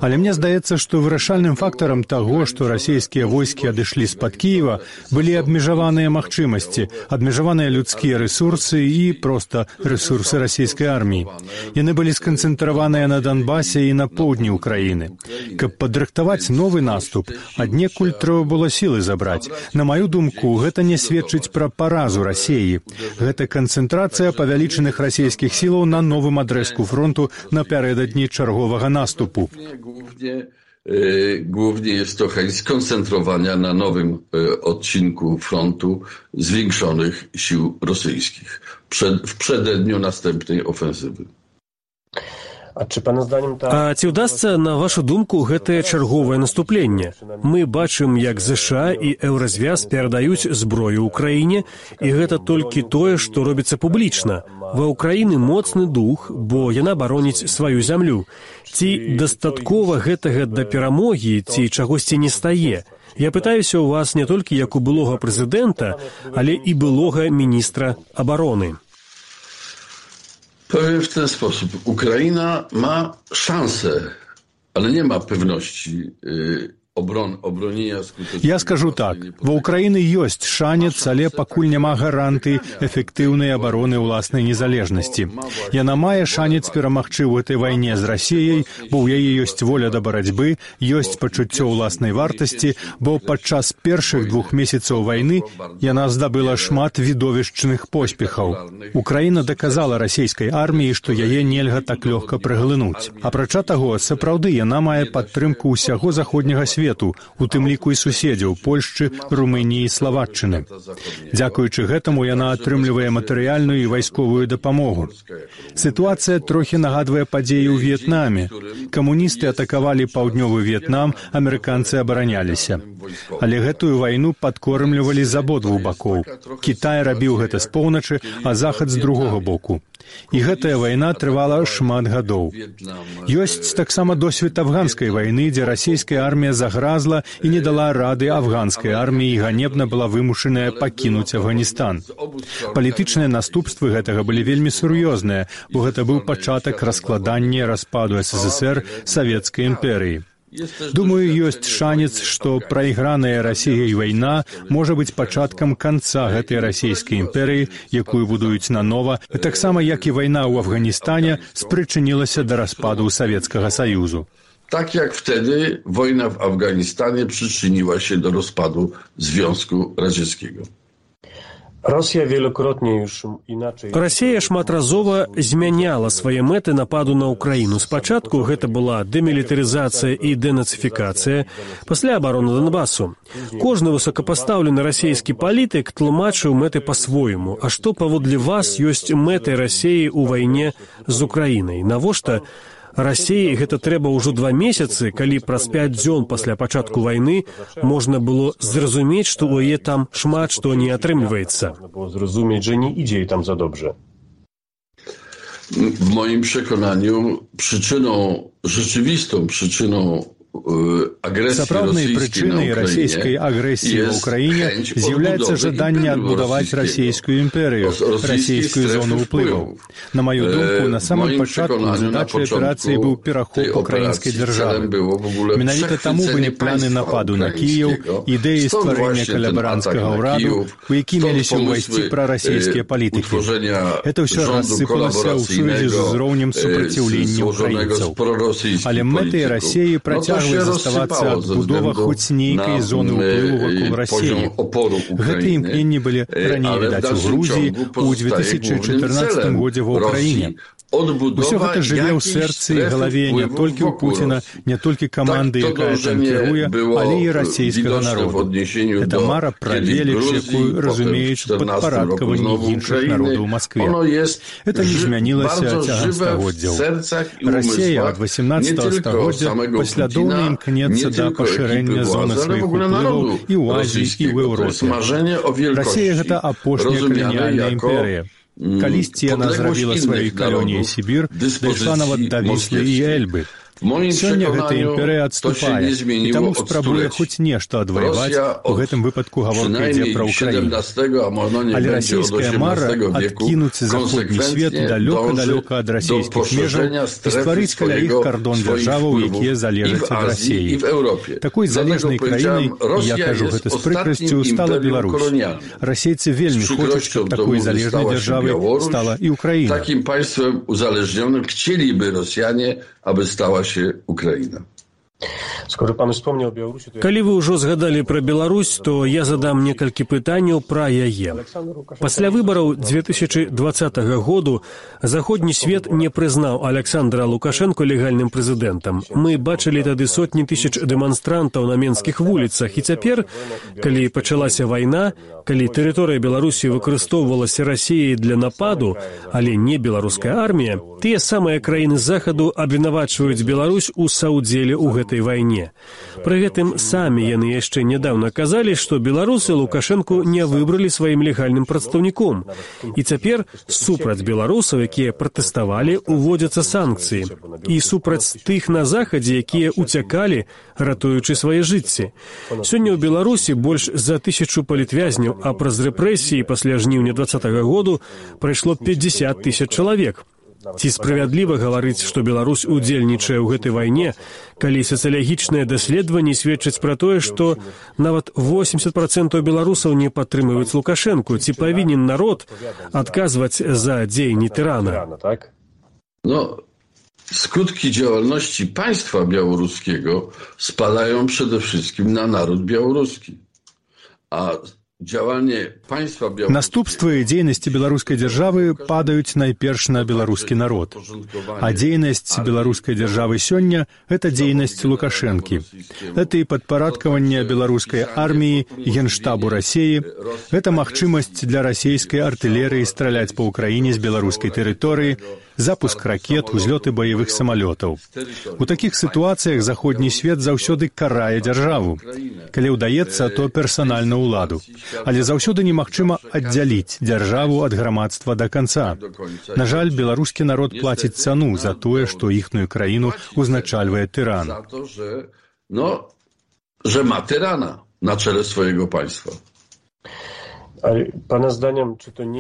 [SPEAKER 8] Але мне здаецца, што вырашальным фактарам таго, што расійскія войскі адышлі з-пад Кіева, былі абмежаваныя магчымасці, абмежаваныя людскія рэсурсы і проста рэсурсы расійскай арміі. Яны былі сканцэнтраваныя на Донбасе і на поўдні Украіны. Каб падрыхтаваць новы наступ, аднекуль трэба было сілы забраць. На маю думку, гэта не сведчыць пра паразу Расіі. Гэта канцэнтрацыя павялічаных расійскіх сілаў на новым адрэзку фронту напярэдадні чарговага наступу.
[SPEAKER 6] Głównie, głównie jest to chęć skoncentrowania na nowym odcinku frontu zwiększonych sił rosyjskich przed, w przededniu następnej ofensywy.
[SPEAKER 5] А ці, пана зданнем, та...
[SPEAKER 7] А ці ўдасца, на вашу думку, гэтае чарговае наступленне? Мы бачым, як ЗША і Еўразвяз перадаюць зброю ўкраіне, і гэта толькі тое, што робіцца публічна. Ва ўкраіны моцны дух, бо яна бароніць сваю зямлю. Ці дастаткова гэтага да перамогі, ці чагосьці не стае? Я пытаюся ў вас не толькі як у былога прэзідэнта, але і былога міністра абароны.
[SPEAKER 6] Powiem w ten sposób. Ukraina ma szansę, ale nie ma pewności yy, obron, obronienia skutecznego.
[SPEAKER 8] Я скажу так. Ва Украіны ёсць шанец, але пакуль няма гарантый эфектыўнай абароны ўласнай незалежнасці. Яна мае шанец перамагчы ў гэтай вайне з Расіяй, бо ў яе ёсць воля да барацьбы, ёсць пачуццё ўласнай вартасці, бо падчас першых двух месяцаў вайны яна здабыла шмат відовішчных поспехаў. Украіна даказала расійскай арміі, што яе нельга так лёгка праглынуць. Апрача таго, сапраўды яна мае падтрымку ўсяго заходняга свету, у тым ліку і суседзяў Польшчы, Румыніі і Славаччыны. Дзякуючы гэтаму яна атрымлівае матэрыяльную і вайсковую дапамогу. Сітуацыя трохі нагадвае падзеі ў В'етнаме. Камуністы атакавалі паўднёвы В'етнам, амерыканцы абараняліся. Але гэтую вайну падкормлівалі з абодвух бакоў. Кітай рабіў гэта з поўначы, а захад з другога боку. І гэтая вайна трывала шмат гадоў. Ёсць таксама досвед афганскай вайны, дзе расійская армія загразла і не дала рады афганскай арміі, і ганебна была вымушаная пакінуць Афганістан. Палітычныя наступствы гэтага былі вельмі сур'ёзныя, бо гэта быў пачатак раскладання распаду СССР Савецкай імперыі. Думаю, ёсць шанец, што прайграная Расіяй вайна можа быць пачаткам канца гэтай расійскай імперыі, якую будуюць нанова, таксама як і вайна ў Афганістане спрычынілася да распаду Савецкага Саюзу.
[SPEAKER 6] Tak jak wtedy wojna w Afganistanie przyczyniła się do rozpadu Związku Radzieckiego.
[SPEAKER 5] Росія вielokrotnie już inaczej...
[SPEAKER 7] Расія шматразова змяняла свае мэты нападу на Украіну. Спачатку гэта была дэмілітарызацыя і дэнацыфікацыя, пасля абароны Донбасу. Кожны высокапастаўлены расійскі палітык тлумачыў мэты па-свойму. А што, паводле вас, ёсць мэтай Расіі ў вайне з Украінай? Навошта Расіі гэта трэба ўжо два месяцы, калі праз пяць дзён пасля пачатку вайны можна было зразумець, што ў яе там шмат што не атрымліваецца.
[SPEAKER 5] Можна было зразумець, że nie idzie jej tam za dobrze.
[SPEAKER 6] W moim przekonaniu przyczyną, rzeczywistą przyczyną
[SPEAKER 8] Сапраўднай прычынай расійскай агрэсіі ў Украіне з'яўляецца жаданне адбудаваць расійскую імперыю, расійскую зону ўплываў. На маю думку, на самым пачатку задачай аперацыі быў перахоп украінскай дзяржавы. Менавіта таму былі планы нападу на Кіеў, ідэі стварэння калабаранцкага ўраду, у які меліся ўвайсці прарасійскія палітыкі. Гэта ўсё рассыпалася ў сувязі з узроўнем супраціўлення ўкраінцаў. Але мэтай Расіі працягваюць заставацца адбудова хоць нейкай зоны ўплыву вакол Расіі. Гэтыя імкненні былі раней відаць у Грузіі, у две тысячи чатырнаццатым годзе ва Ўкраіне. Усё гэта жыве ў сэрцы і галаве не толькі ў Пуціна, не толькі каманды, якая там кіруе, але і расійскага народу. Гэта мара пра веліч, якую разумеюць падпарадкаванні іншых народаў у Маскве. Это не змянілася цягам стагоддзяў. Расія ад васямнаццатага стагоддзя паслядоўна імкнецца да пашырэння зоны сваіх уплываў і ў Азіі, і ў Еўропе. Расія гэта апошняя каланіяльная імперыя. Калісьці яна зрабіла сваёй калоніяй Сібір, дайшла нават да Віслы і Эльбы. Сёння гэта імперыя адступае, і таму спрабуе хоць нешта адваяваць, у гэтым выпадку гаворка ідзе пра Ўкраіну. Але расійская мара адкінуць заходні свет далёка-далёка ад расійскіх межаў і стварыць каля іх кардон дзяржаваў, якія залежаць ад Расіі. Такой залежнай краінай, я кажу гэта з прыкрасцю, стала Беларусь. Расейцы вельмі хочуць, каб такой залежнай дзяржавай стала і Ўкраіна.
[SPEAKER 6] Такім панствам узалежнionym chcieliby Rosjanie, aby stała się Ukraina.
[SPEAKER 7] Калі вы ўжо згадалі пра Беларусь, то я задам некалькі пытанняў пра яе. Пасля выбараў две тысячи двадцатага году заходні свет не прызнаў Александра Лукашенко легальным прэзідэнтам. Мы бачылі тады сотні тысяч дэманстрантаў на менскіх вуліцах, і цяпер, калі пачалася вайна, калі тэрыторыя Беларусі выкарыстоўвалася Расіяй для нападу, але не беларуская армія, тыя самыя краіны захаду абвінавачваюць Беларусь у саўдзеле ў гэтай вайне. Пры гэтым самі яны яшчэ нядаўна казалі, што беларусы Лукашэнку не выбралі сваім легальным прадстаўніком. І цяпер супраць беларусаў, якія пратэставалі, уводзяцца санкцыі. І супраць тых на захадзе, якія уцякалі, ратуючы свае жыцці. Сёння ў Беларусі больш за тысячу палітвязняў, а праз рэпрэсіі пасля жніўня двадцатага году прайшло пятьдесят тысяч чалавек. Ці справядліва гаварыць, што Беларусь удзельнічае ў гэтай вайне, калі сацыялагічныя даследаванні сведчаць пра тое, што нават восемьдесят процентов беларусаў не падтрымліваюць Лукашэнку? Ці павінен народ адказваць за дзеянні тyrana?
[SPEAKER 6] No, skutki działalności państwa białoruskiego spadają przede wszystkim na naród białoruski. A
[SPEAKER 8] Наступствы дзейнасці беларускай дзяржавы падаюць найперш на беларускі народ. А дзейнасць беларускай дзяржавы сёння – гэта дзейнасць Лукашэнкі. Гэта і падпарадкаванне беларускай арміі, генштабу Расіі. Гэта магчымасць для расійскай артылерыі страляць па ўкраіне з беларускай тэрыторыі, запуск ракет, узлёты баявых самалётаў. У такіх сітуацыях заходні свет заўсёды карае дзяржаву. Калі ўдаецца, то персанальна ўладу. Але заўсёды немагчыма аддзяліць дзяржаву ад грамадства да канца. На жаль, беларускі народ плаціць цану за тое, што іхную краіну узначальвае тыран.
[SPEAKER 6] że ma tyrana na czele swojego państwa.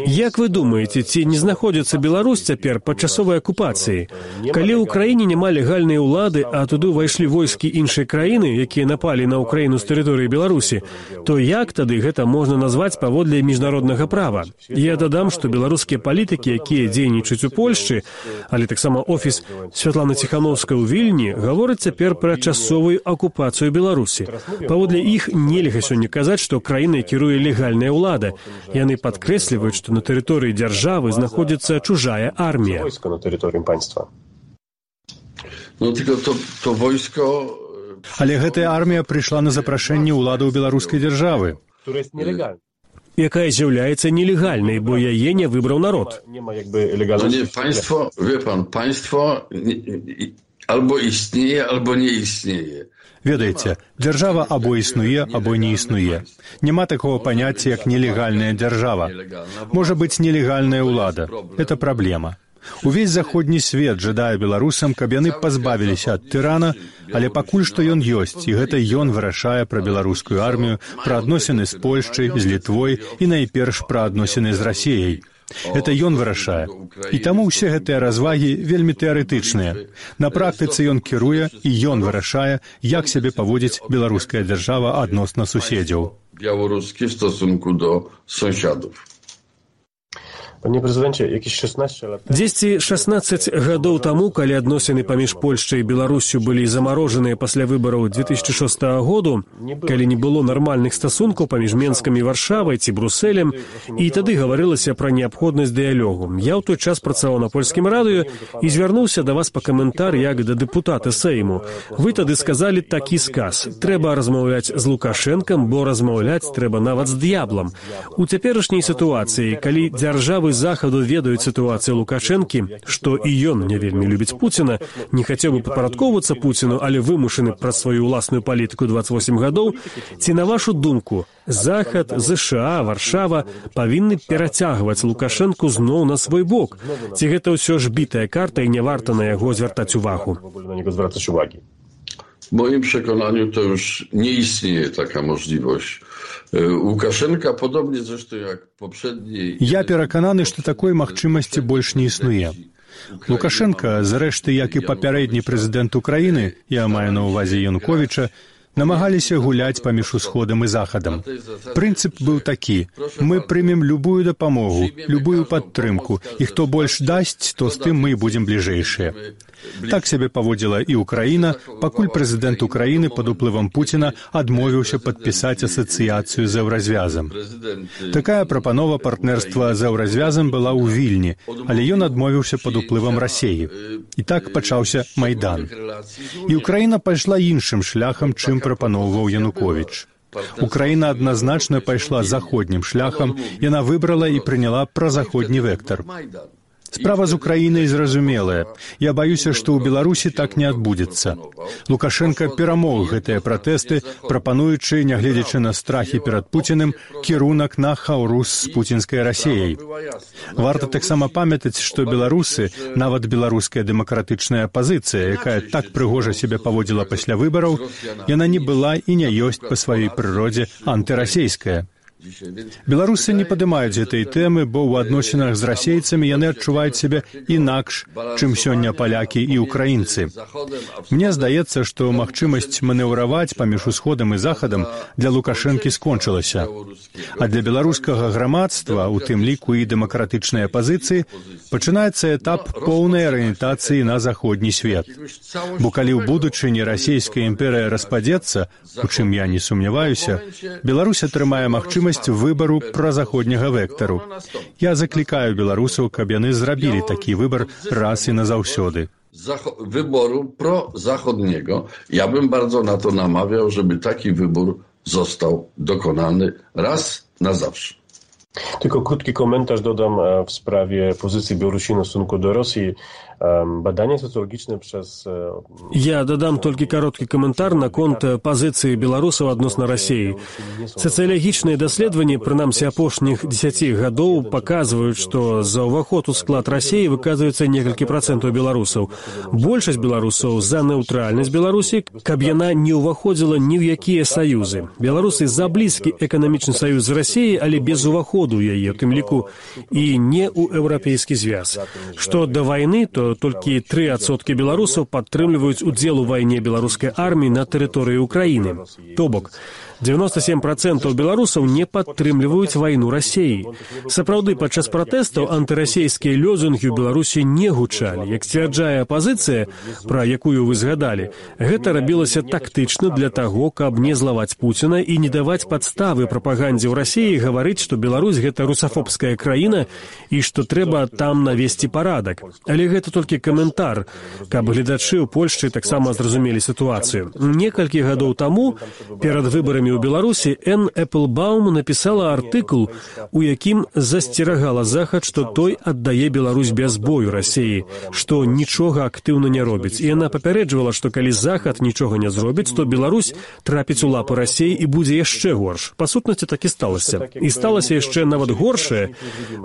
[SPEAKER 7] Як вы думаеце, ці не знаходзіцца Беларусь цяпер пад часовай акупацыяй? Калі ў краіне няма легальнай улады, а туды ўвайшлі войскі іншай краіны, якія напалі на Украіну з тэрыторыі Беларусі, то як тады гэта можна назваць паводле міжнароднага права? Я дадам, што беларускія палітыкі, якія дзейнічаюць у Польшчы, але таксама офіс Святланы Ціханаўскай у Вільні, гавораць цяпер пра часовую акупацыю Беларусі. Паводле іх нельга сёння казаць, што краінай кіруе легальная ўлада. Яны падкрэсліваюць, што на тэрыторыі дзяржавы знаходзіцца чужая армія.
[SPEAKER 6] Ну, тільки то, то войско...
[SPEAKER 8] Але гэтая армія прыйшла на запрашэнне ўладаў беларускай дзяржавы,
[SPEAKER 7] якая з'яўляецца нелегальнай, бо яе не выбраў народ.
[SPEAKER 6] No nie, państwo, wie pan, państwo albo istnieje, albo nie istnieje.
[SPEAKER 8] Ведаеце, дзяржава або існуе, або не існуе. Няма такого паняцця, як нелегальная дзяржава. Можа быць нелегальная ўлада. Это праблема. Увесь заходні свет жадае беларусам, каб яны пазбавіліся ад тырана, але пакуль што ён ёсць, і гэта ён вырашае пра беларускую армію, пра адносіны з Польшчай, з Літвой і найперш пра адносіны з Расіяй. Это ён вырашае. І таму ўсе гэтыя развагі вельмі тэарэтычныя. На практыцы ён кіруе, і ён вырашае, як сябе паводзіць беларуская дзяржава адносна суседзяў.
[SPEAKER 6] Białoruskie w stosunku do sąsiadów.
[SPEAKER 7] Дзесьці шаснаццаць гадоў таму, калі адносіны паміж Польшчай і Беларуссю былі замарожаныя пасля выбараў две тысячы шостага году, калі не было нармальных стасункаў паміж Менскам і Варшавай ці Брусэлем, і тады гаварылася пра неабходнасць дыялогу. Я ў той час працаваў на польскім радыё і звярнуўся да вас па каментар як да дэпутата Сейму. Вы тады сказалі такі сказ: трэба размаўляць з Лукашэнкам, бо размаўляць трэба нават з д'яблам. У цяперашняй сітуацыі, калі дзяржавы захаду ведаюць сітуацыю Лукашэнкі, што і ён не вельмі любіць Пуціна, не хацеў бы падпарадкоўвацца Пуціну, але вымушаны праз сваю ўласную палітыку дваццаць восем гадоў, ці, на вашу думку, Захад, ЗША, Варшава павінны перацягваць Лукашэнку зноў на свой бок? Ці гэта ўсё ж бітая карта і не варта на яго звяртаць увагу?
[SPEAKER 6] W moim przekonaniu to już nie istnieje taka możliwość. Łukaszenka, podobnie zresztą jak poprzedniej...
[SPEAKER 8] Я перакананы, што такой магчымасці больш не існуе. Лукашенка, зрэшты, як і папярэдні прэзідэнт Украіны, я маю на ўвазе Януковіча, намагаліся гуляць паміж усходам і захадам. Прынцып быў такі: мы прымем любую дапамогу, любую падтрымку, і хто больш дасць, то з тым мы будзем бліжэйшыя. Так сябе паводзіла і Украіна, пакуль прэзідэнт Украіны пад уплывам Пуціна адмовіўся падпісаць асацыяцыю з еўразвязам. Такая прапанова партнерства з еўразвязам была ў Вільні, але ён адмовіўся пад уплывам Расіі. І так пачаўся Майдан. І Украіна пайшла іншым шляхам, чым прапаноўваў Януковіч. Украіна адназначна пайшла заходнім шляхам, яна выбрала і прыняла празаходні вектар. Справа з Украінай зразумелая. Я баюся, што ў Беларусі так не адбудзецца. Лукашенка перамог гэтыя пратэсты, прапануючы, нягледзячы на страхі перад Пуціным, кірунак на хаўрус з пуцінскай Расіяй. Варта таксама памятаць, што беларусы, нават беларуская дэмакратычная апазіцыя, якая так прыгожа сябе паводзіла пасля выбараў, яна не была і не ёсць па сваёй прыродзе антырасейская. Беларусы не падымаюць гэтай тэмы, бо ў адносінах з расейцамі яны адчуваюць сябе інакш, чым сёння палякі і ўкраінцы. Мне здаецца, што магчымасць манеўраваць паміж усходам і захадам для Лукашэнкі скончылася. А для беларускага грамадства, у тым ліку і дэмакратычнай апазіцыі, пачынаецца этап поўнай арыентацыі на заходні свет. Бо калі ў будучыні расійская імперыя распадзецца, у чым я не сумняваюся, Беларусь атрымае магчымасць выбару празаходняга вектару. Я заклікаю беларусаў, каб яны зрабілі такі выбар раз і назаўсёды.
[SPEAKER 6] Wyboru prozachodniego. Ja bym bardzo na to namawiał, żeby taki wybór został dokonany raz na zawsze.
[SPEAKER 5] Tylko krótki komentarz dodam w sprawie pozycji Białorusini w stosunku do Rosji. Badania socjologiczne przez...
[SPEAKER 7] Я дадам толькі кароткі каментар наконт пазіцыі беларусаў адносна Расіі. Сацыялагічныя даследаванні, прынамсі апошніх дзесяці гадоў, паказваюць, што за ўваход у склад Расіі выказваецца некалькі працэнтаў беларусаў. Большасць беларусаў за нейтральнасць Беларусі, каб яна не ўваходзіла ні ў якія саюзы. Беларусы за блізкі эканамічны саюз з Расіяй, але без уваходу ў яе, у тым ліку і не ў еўрапейскі звяз. Што да вайны, то толькі тры адсоткі беларусаў падтрымліваюць удзел у вайне беларускай арміі на тэрыторыі Украіны. То бок, дзевяносто семь процентаў беларусаў не падтрымліваюць вайну Расіі. Сапраўды, падчас пратэстаў антырасійскія лёзунгі ў Беларусі не гучалі. Як сцвярджае апазіцыя, пра якую вы згадалі, гэта рабілася тактычна для таго, каб не злаваць Пуціна і не даваць падставы прапагандзе ў Расіі гаварыць, што Беларусь — гэта русафобская краіна і што трэба там навесці парадак. Але гэта толькі каментар, каб гледачы ў Польшчы таксама зразумелі сітуацыю. Некалькі гадоў таму, перад выбарамі ў Беларусі, Энн Эпплбаум напісала артыкул, у якім засцерагала Захад, што той аддае Беларусь без бою Расіі, што нічога актыўна не робіць. І яна папярэджвала, што калі Захад нічога не зробіць, то Беларусь трапіць у лапы Расіі і будзе яшчэ горш. Па сутнасці, так і сталася. І сталася яшчэ нават горшае,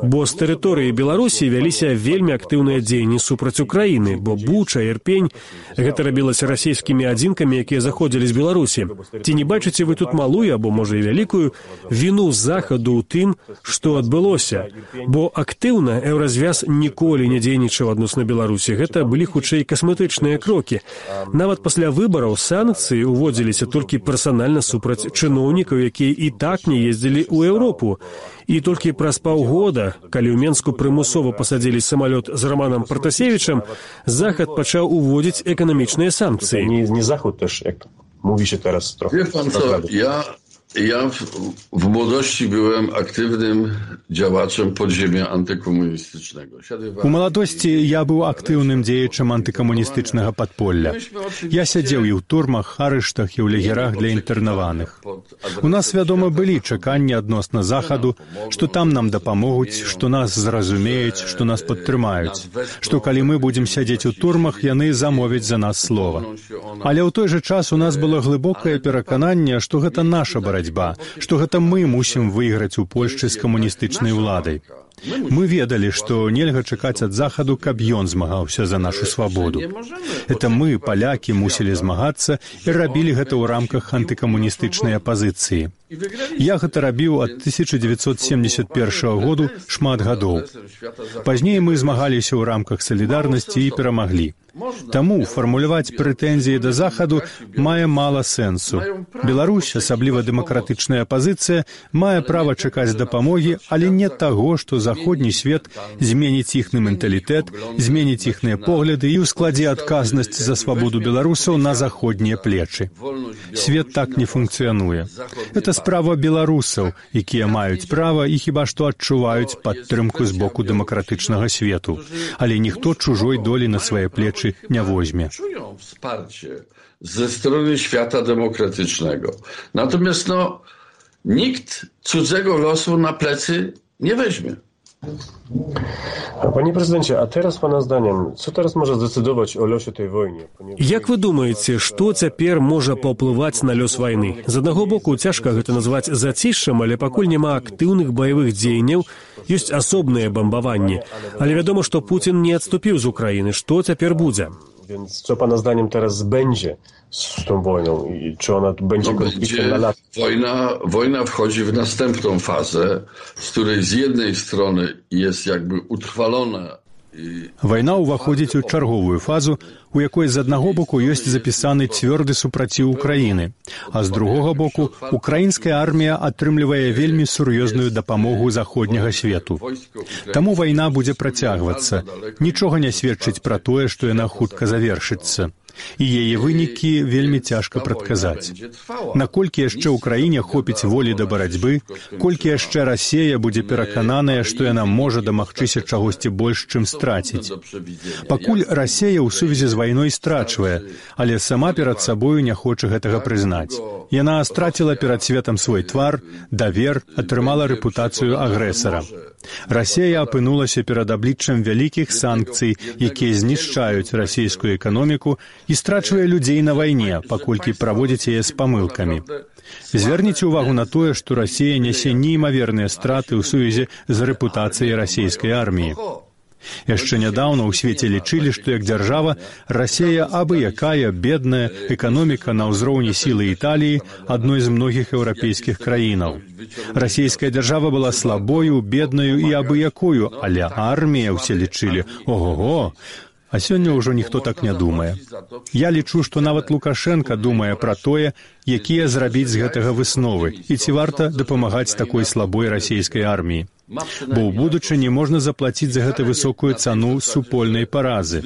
[SPEAKER 7] бо з тэрыторыі Беларусі вяліся вельмі актыўныя дзеянні супраць Украіны, бо Буча, Ірпень — гэта рабілася расійскімі адзінкамі, якія заходзілі з Беларусі. Ці не бачыце вы тут малую, або, можа, і вялікую, віну Захаду ў тым, што адбылося? Бо актыўна еўразвяз ніколі не дзейнічаў адносна Беларусі. Гэта былі, хутчэй, касметычныя крокі. Нават пасля выбараў санкцыі ўводзіліся толькі персанальна супраць чыноўнікаў, якія і так не ездзілі ў Еўропу. І толькі праз паўгода, калі ў Менску прымусова пасадзілі самалёт з Романом Пратасевічам, Захад пачаў уводзіць эканамічныя санкцыі.
[SPEAKER 5] Nie, nie Zachód też, jak mówi się teraz trochę.
[SPEAKER 6] Wie pan co, ja, ja w, w młodości byłem aktywnym działaczem podziemia antykomunistycznego.
[SPEAKER 8] У маладосці я быў актыўным дзеячам антыкамуністычнага падполля. Я сядзеў і ў турмах, арыштах і ў лагерах для інтэрнаваных. У нас, вядома, былі чаканні адносна Захаду, што там нам дапамогуць, што нас зразумеюць, што нас падтрымаюць, што калі мы будзем сядзець у турмах, яны замовяць за нас слова. Але ў той жа час у нас было глыбокае перакананне, што гэта наша барацьба, што гэта мы мусім выйграць у Польшчы з камуністычнай уладай. Мы ведалі, што нельга чакаць ад Захаду, каб ён змагаўся за нашу свабоду. Это мы, палякі, мусілі змагацца і рабілі гэта ў рамках антыкамуністычнай апазіцыі. Я гэта рабіў ад тысяча дзевяцьсот семьдесят першага году шмат гадоў. Пазней мы змагаліся ў рамках салідарнасці і перамаглі. Таму фармуляваць прэтэнзіі да Захаду мае мала сэнсу. Беларусь, асабліва дэмакратычная апазіцыя, мае права чакаць дапамогі, але не таго, што заходні свет зменіць іхны менталітэт, зменіць іхныя погляды і ўскладзе адказнасць за свабоду беларусаў на заходнія плечы. Свет так не функцыянуе. Это справа беларусаў, якія маюць права і хіба што адчуваюць падтрымку з боку дэмакратычнага свету. Але ніхто чужой долі на свае плечы nie weźmie.
[SPEAKER 6] Czują wsparcie ze strony świata demokratycznego. Natomiast no, nikt cudzego losu na plecy nie weźmie.
[SPEAKER 5] Panie prezydencie, a teraz pana zdaniem, co teraz może zdecydować o losie tej wojny?
[SPEAKER 7] Як вы думаеце, што цяпер можа паўплываць на лёс вайны? З аднаго боку, цяжка гэта назваць зацішшам, але пакуль няма актыўных баявых дзеянняў, ёсць асобныя бамбаванні. Але вядома, што Пуцін не адступіў з Украіны. Што цяпер будзе?
[SPEAKER 5] Więc co pana zdaniem teraz będzie z tą wojną i czy ona będzie
[SPEAKER 6] no
[SPEAKER 5] konfliktem na lata?
[SPEAKER 6] Wojna, wojna wchodzi w następną fazę, z której z jednej strony jest jakby utrwalona.
[SPEAKER 8] Вайна ўваходзіць у чарговую фазу, у якой з аднаго боку ёсць запісаны цвёрды супраціў Украіны, а з другога боку украінская армія атрымлівае вельмі сур'ёзную дапамогу заходняга свету. Таму вайна будзе працягвацца. Нічога не сведчыць пра тое, што яна хутка завершыцца. І яе вынікі вельмі цяжка прадказаць. Наколькі яшчэ ў краіне хопіць волі да барацьбы, колькі яшчэ Расія будзе перакананая, што яна можа дамагчыся чагосьці больш, чым страціць. Пакуль Расія ў сувязі з вайной страчвае, але сама перад сабою не хоча гэтага прызнаць. Яна страціла перад светам свой твар, давер, атрымала рэпутацыю агрэсара. Расія апынулася перад абліччам вялікіх санкцый, якія знішчаюць расійскую эканоміку і страчвае людзей на вайне, паколькі праводзіць яе з памылкамі. Звярніце ўвагу на тое, што Расія нясе неймаверныя страты ў сувязі з рэпутацыяй расійскай арміі. Яшчэ нядаўна ў свеце лічылі, што як дзяржава Расія абы якая бедная эканоміка на ўзроўні сілы Італіі, адной з многіх еўрапейскіх краінаў. Расійская дзяржава была слабою, беднаю і абы якою, але армія ўсе лічылі, ого-го, а сёння ўжо ніхто так не думае. Я лічу, што нават Лукашенка думае пра тое, якія зрабіць з гэтага высновы, і ці варта дапамагаць такой слабой расійскай арміі. Бо ў будучыні можна заплаціць за гэта высокую цану супольнай паразы.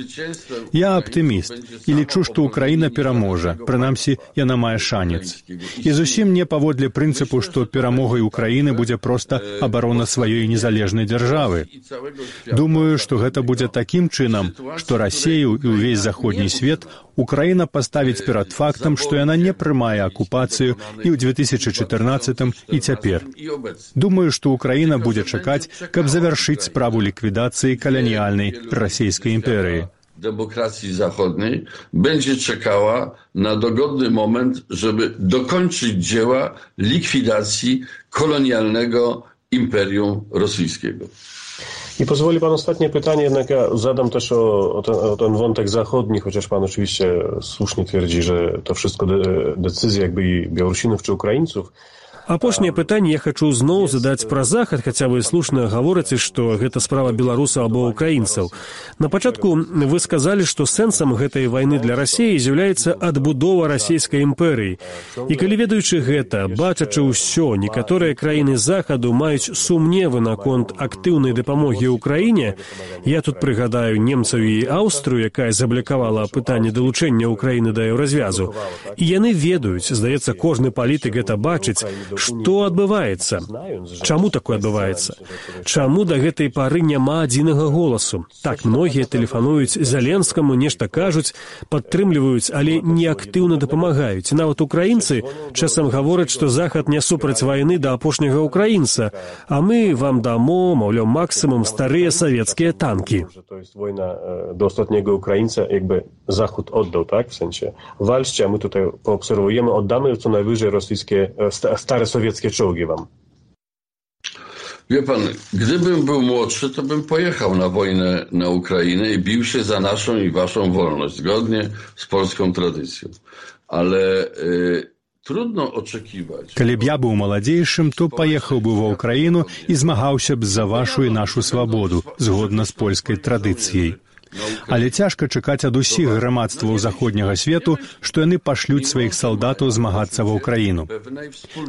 [SPEAKER 8] Я аптыміст і лічу, што Украіна пераможа, прынамсі, яна мае шанец. І зусім не паводле прынцыпу, што перамогай Украіны будзе проста абарона сваёй незалежнай дзяржавы. Думаю, што гэта будзе такім чынам, што Расію і ўвесь заходні свет Украіна паставіць перад фактам, што яна не прымае акупацыю і ў дзве тысячы чатырнаццатым і цяпер. Думаю, што Украіна будзе чакаць, каб завяршыць справу ліквідацыі каланіяльнай расійскай імперыі.
[SPEAKER 6] Demokracji zachodniej będzie czekała na dogodny moment, żeby dokończyć dzieła likwidacji kolonialnego imperium rosyjskiego.
[SPEAKER 5] I pozwoli pan ostatnie pytanie, jednak ja zadam też o, o, ten, o ten wątek zachodni, chociaż pan oczywiście słusznie twierdzi, że to wszystko de, decyzja jakby i Białorusinów czy Ukraińców.
[SPEAKER 7] Апошняе пытанне я хачу зноў задаць пра захад, хаця вы слушна гаворыце, што гэта справа беларусаў або ўкраінцаў. На пачатку вы сказалі, што сэнсам гэтай вайны для Расіі з'яўляецца адбудова расійскай імперыі. І калі ведаючы гэта, бачачы ўсё, некаторыя краіны захаду маюць сумневы наконт актыўнай дапамогі ўкраіне, я тут прыгадаю немцаў і Аўстрыю, якая заблякавала пытанне далучэння Украіны да еўразвязу. І яны ведаюць, здаецца, кожны палітык гэта бачыць, што адбываецца? Чаму такое адбываецца? Чаму да гэтай пары няма адзінага голасу? Так, многія тэлефануюць Зеленскаму, нешта кажуць, падтрымліваюць, але не актыўна дапамагаюць. І нават украінцы часам гавораць, што Захад не супраць вайны да апошняга украінца, а мы вам дамо, маўляў, максимум старыя савецкія танкі.
[SPEAKER 5] To jest wojna do ostatniego Ukraińca, jakby Zachód oddał, tak? W sensie walczcie, a my tutaj poobserwujemy, oddamy co najwyżej rosyjskie, stare sowieckie czołgi wam.
[SPEAKER 6] Wie pan, gdybym był młodszy, to bym pojechał na wojnę na Ukrainę i bił się za naszą i waszą wolność, zgodnie z polską tradycją. Ale y, trudno oczekiwać...
[SPEAKER 8] Калі б я быў маладзейшым, то паехаў бы ва Ўкраіну і змагаўся б за вашу і нашу свабоду, згодна з польскай традыцыяй. Але цяжка чакаць ад усіх грамадстваў заходняга свету, што яны пашлюць сваіх салдатаў змагацца ва Ўкраіну.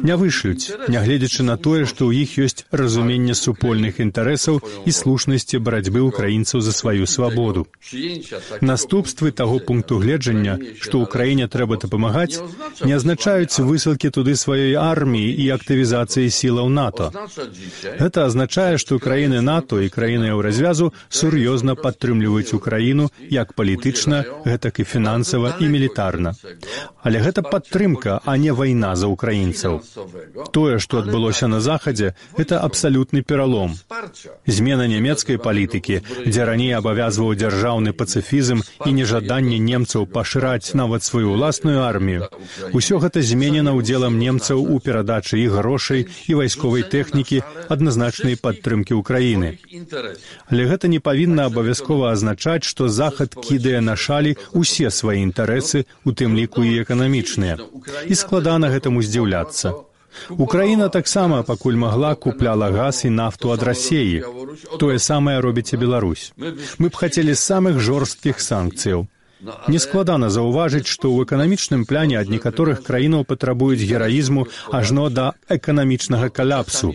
[SPEAKER 8] Не вышлюць, нягледзячы на тое, што ў іх ёсць разуменне супольных інтарэсаў і слушнасці барацьбы ўкраінцаў за сваю свабоду. Наступствы таго пункту гледжання, што ўкраіне трэба дапамагаць, не азначаюць высылкі туды сваёй арміі і актывізацыі сілаў НАТО. Гэта азначае, што краіны НАТО і краіны Еўразвязу сур'ёзна падтрымліваюць Украіну як палітычна, гэтак і фінансава і мілітарна. Але гэта падтрымка, а не вайна за украінцаў. Тое, што адбылося на Захадзе, гэта абсалютны пералом. Змена нямецкай палітыкі, дзе раней абавязваў дзяржаўны пацыфізм і нежаданне немцаў пашыраць нават сваю ўласную армію, усё гэта зменена ўдзелам немцаў у перадачы іх грошай і вайсковай тэхнікі адназначнай падтрымкі Украіны. Але гэта не павінна абавязкова азначаць, што Захад кідае на шалі ўсе свае інтарэсы, у тым ліку і эканамічныя. І складана гэтаму здзіўляцца. Украіна таксама, пакуль магла, купляла газ і нафту ад Расіі. Тое самае робіць і Беларусь. Мы б хацелі самых жорсткіх санкцыяў. Нескладана заўважыць, што ў эканамічным пляне ад некаторых краінаў патрабуюць гераізму ажно да эканамічнага каляпсу.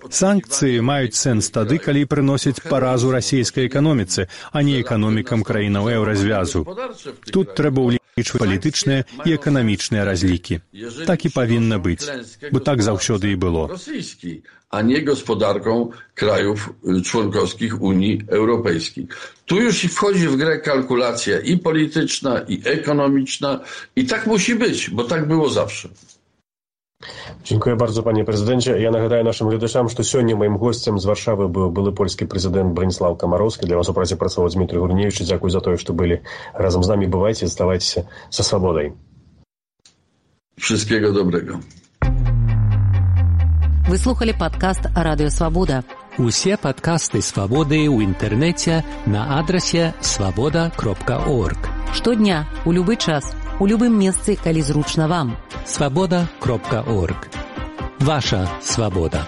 [SPEAKER 8] Санкцыі маюць сэнс тады, калі прыносяць паразу расійскай эканоміцы, а не эканомікам краінаў еўразвязу. Тут трэба ўлічваць палітычныя і эканамічныя разлікі. Так і павінна быць, бо так заўсёды і было.
[SPEAKER 6] A nie gospodarką krajów członkowskich Unii Europejskiej. Tu już wchodzi w grę kalkulacja i polityczna, i ekonomiczna i tak musi być, bo tak było zawsze.
[SPEAKER 5] Dziękuję bardzo, panie prezydencie. Ja nagadaję naszym глядачам, что сегодня моим гостем з Варшавы был былы польский президент Браніслав Камароўскі. Для вас у праце працаваў Дмитрий Гурневич. Дзякуй за тое, что были разом з нами. Бывайте, оставайтесь со свободой.
[SPEAKER 6] Wszystkiego dobrego.
[SPEAKER 1] Вы слухали падкаст Радыё Свабода.
[SPEAKER 4] Усе падкасты Свабоды ў інтэрнэце на адрасе свабода кропка орг.
[SPEAKER 1] Штодня, у любы час, у любым месцы, калі зручна вам.
[SPEAKER 4] свабода кропка орг. Ваша свабода.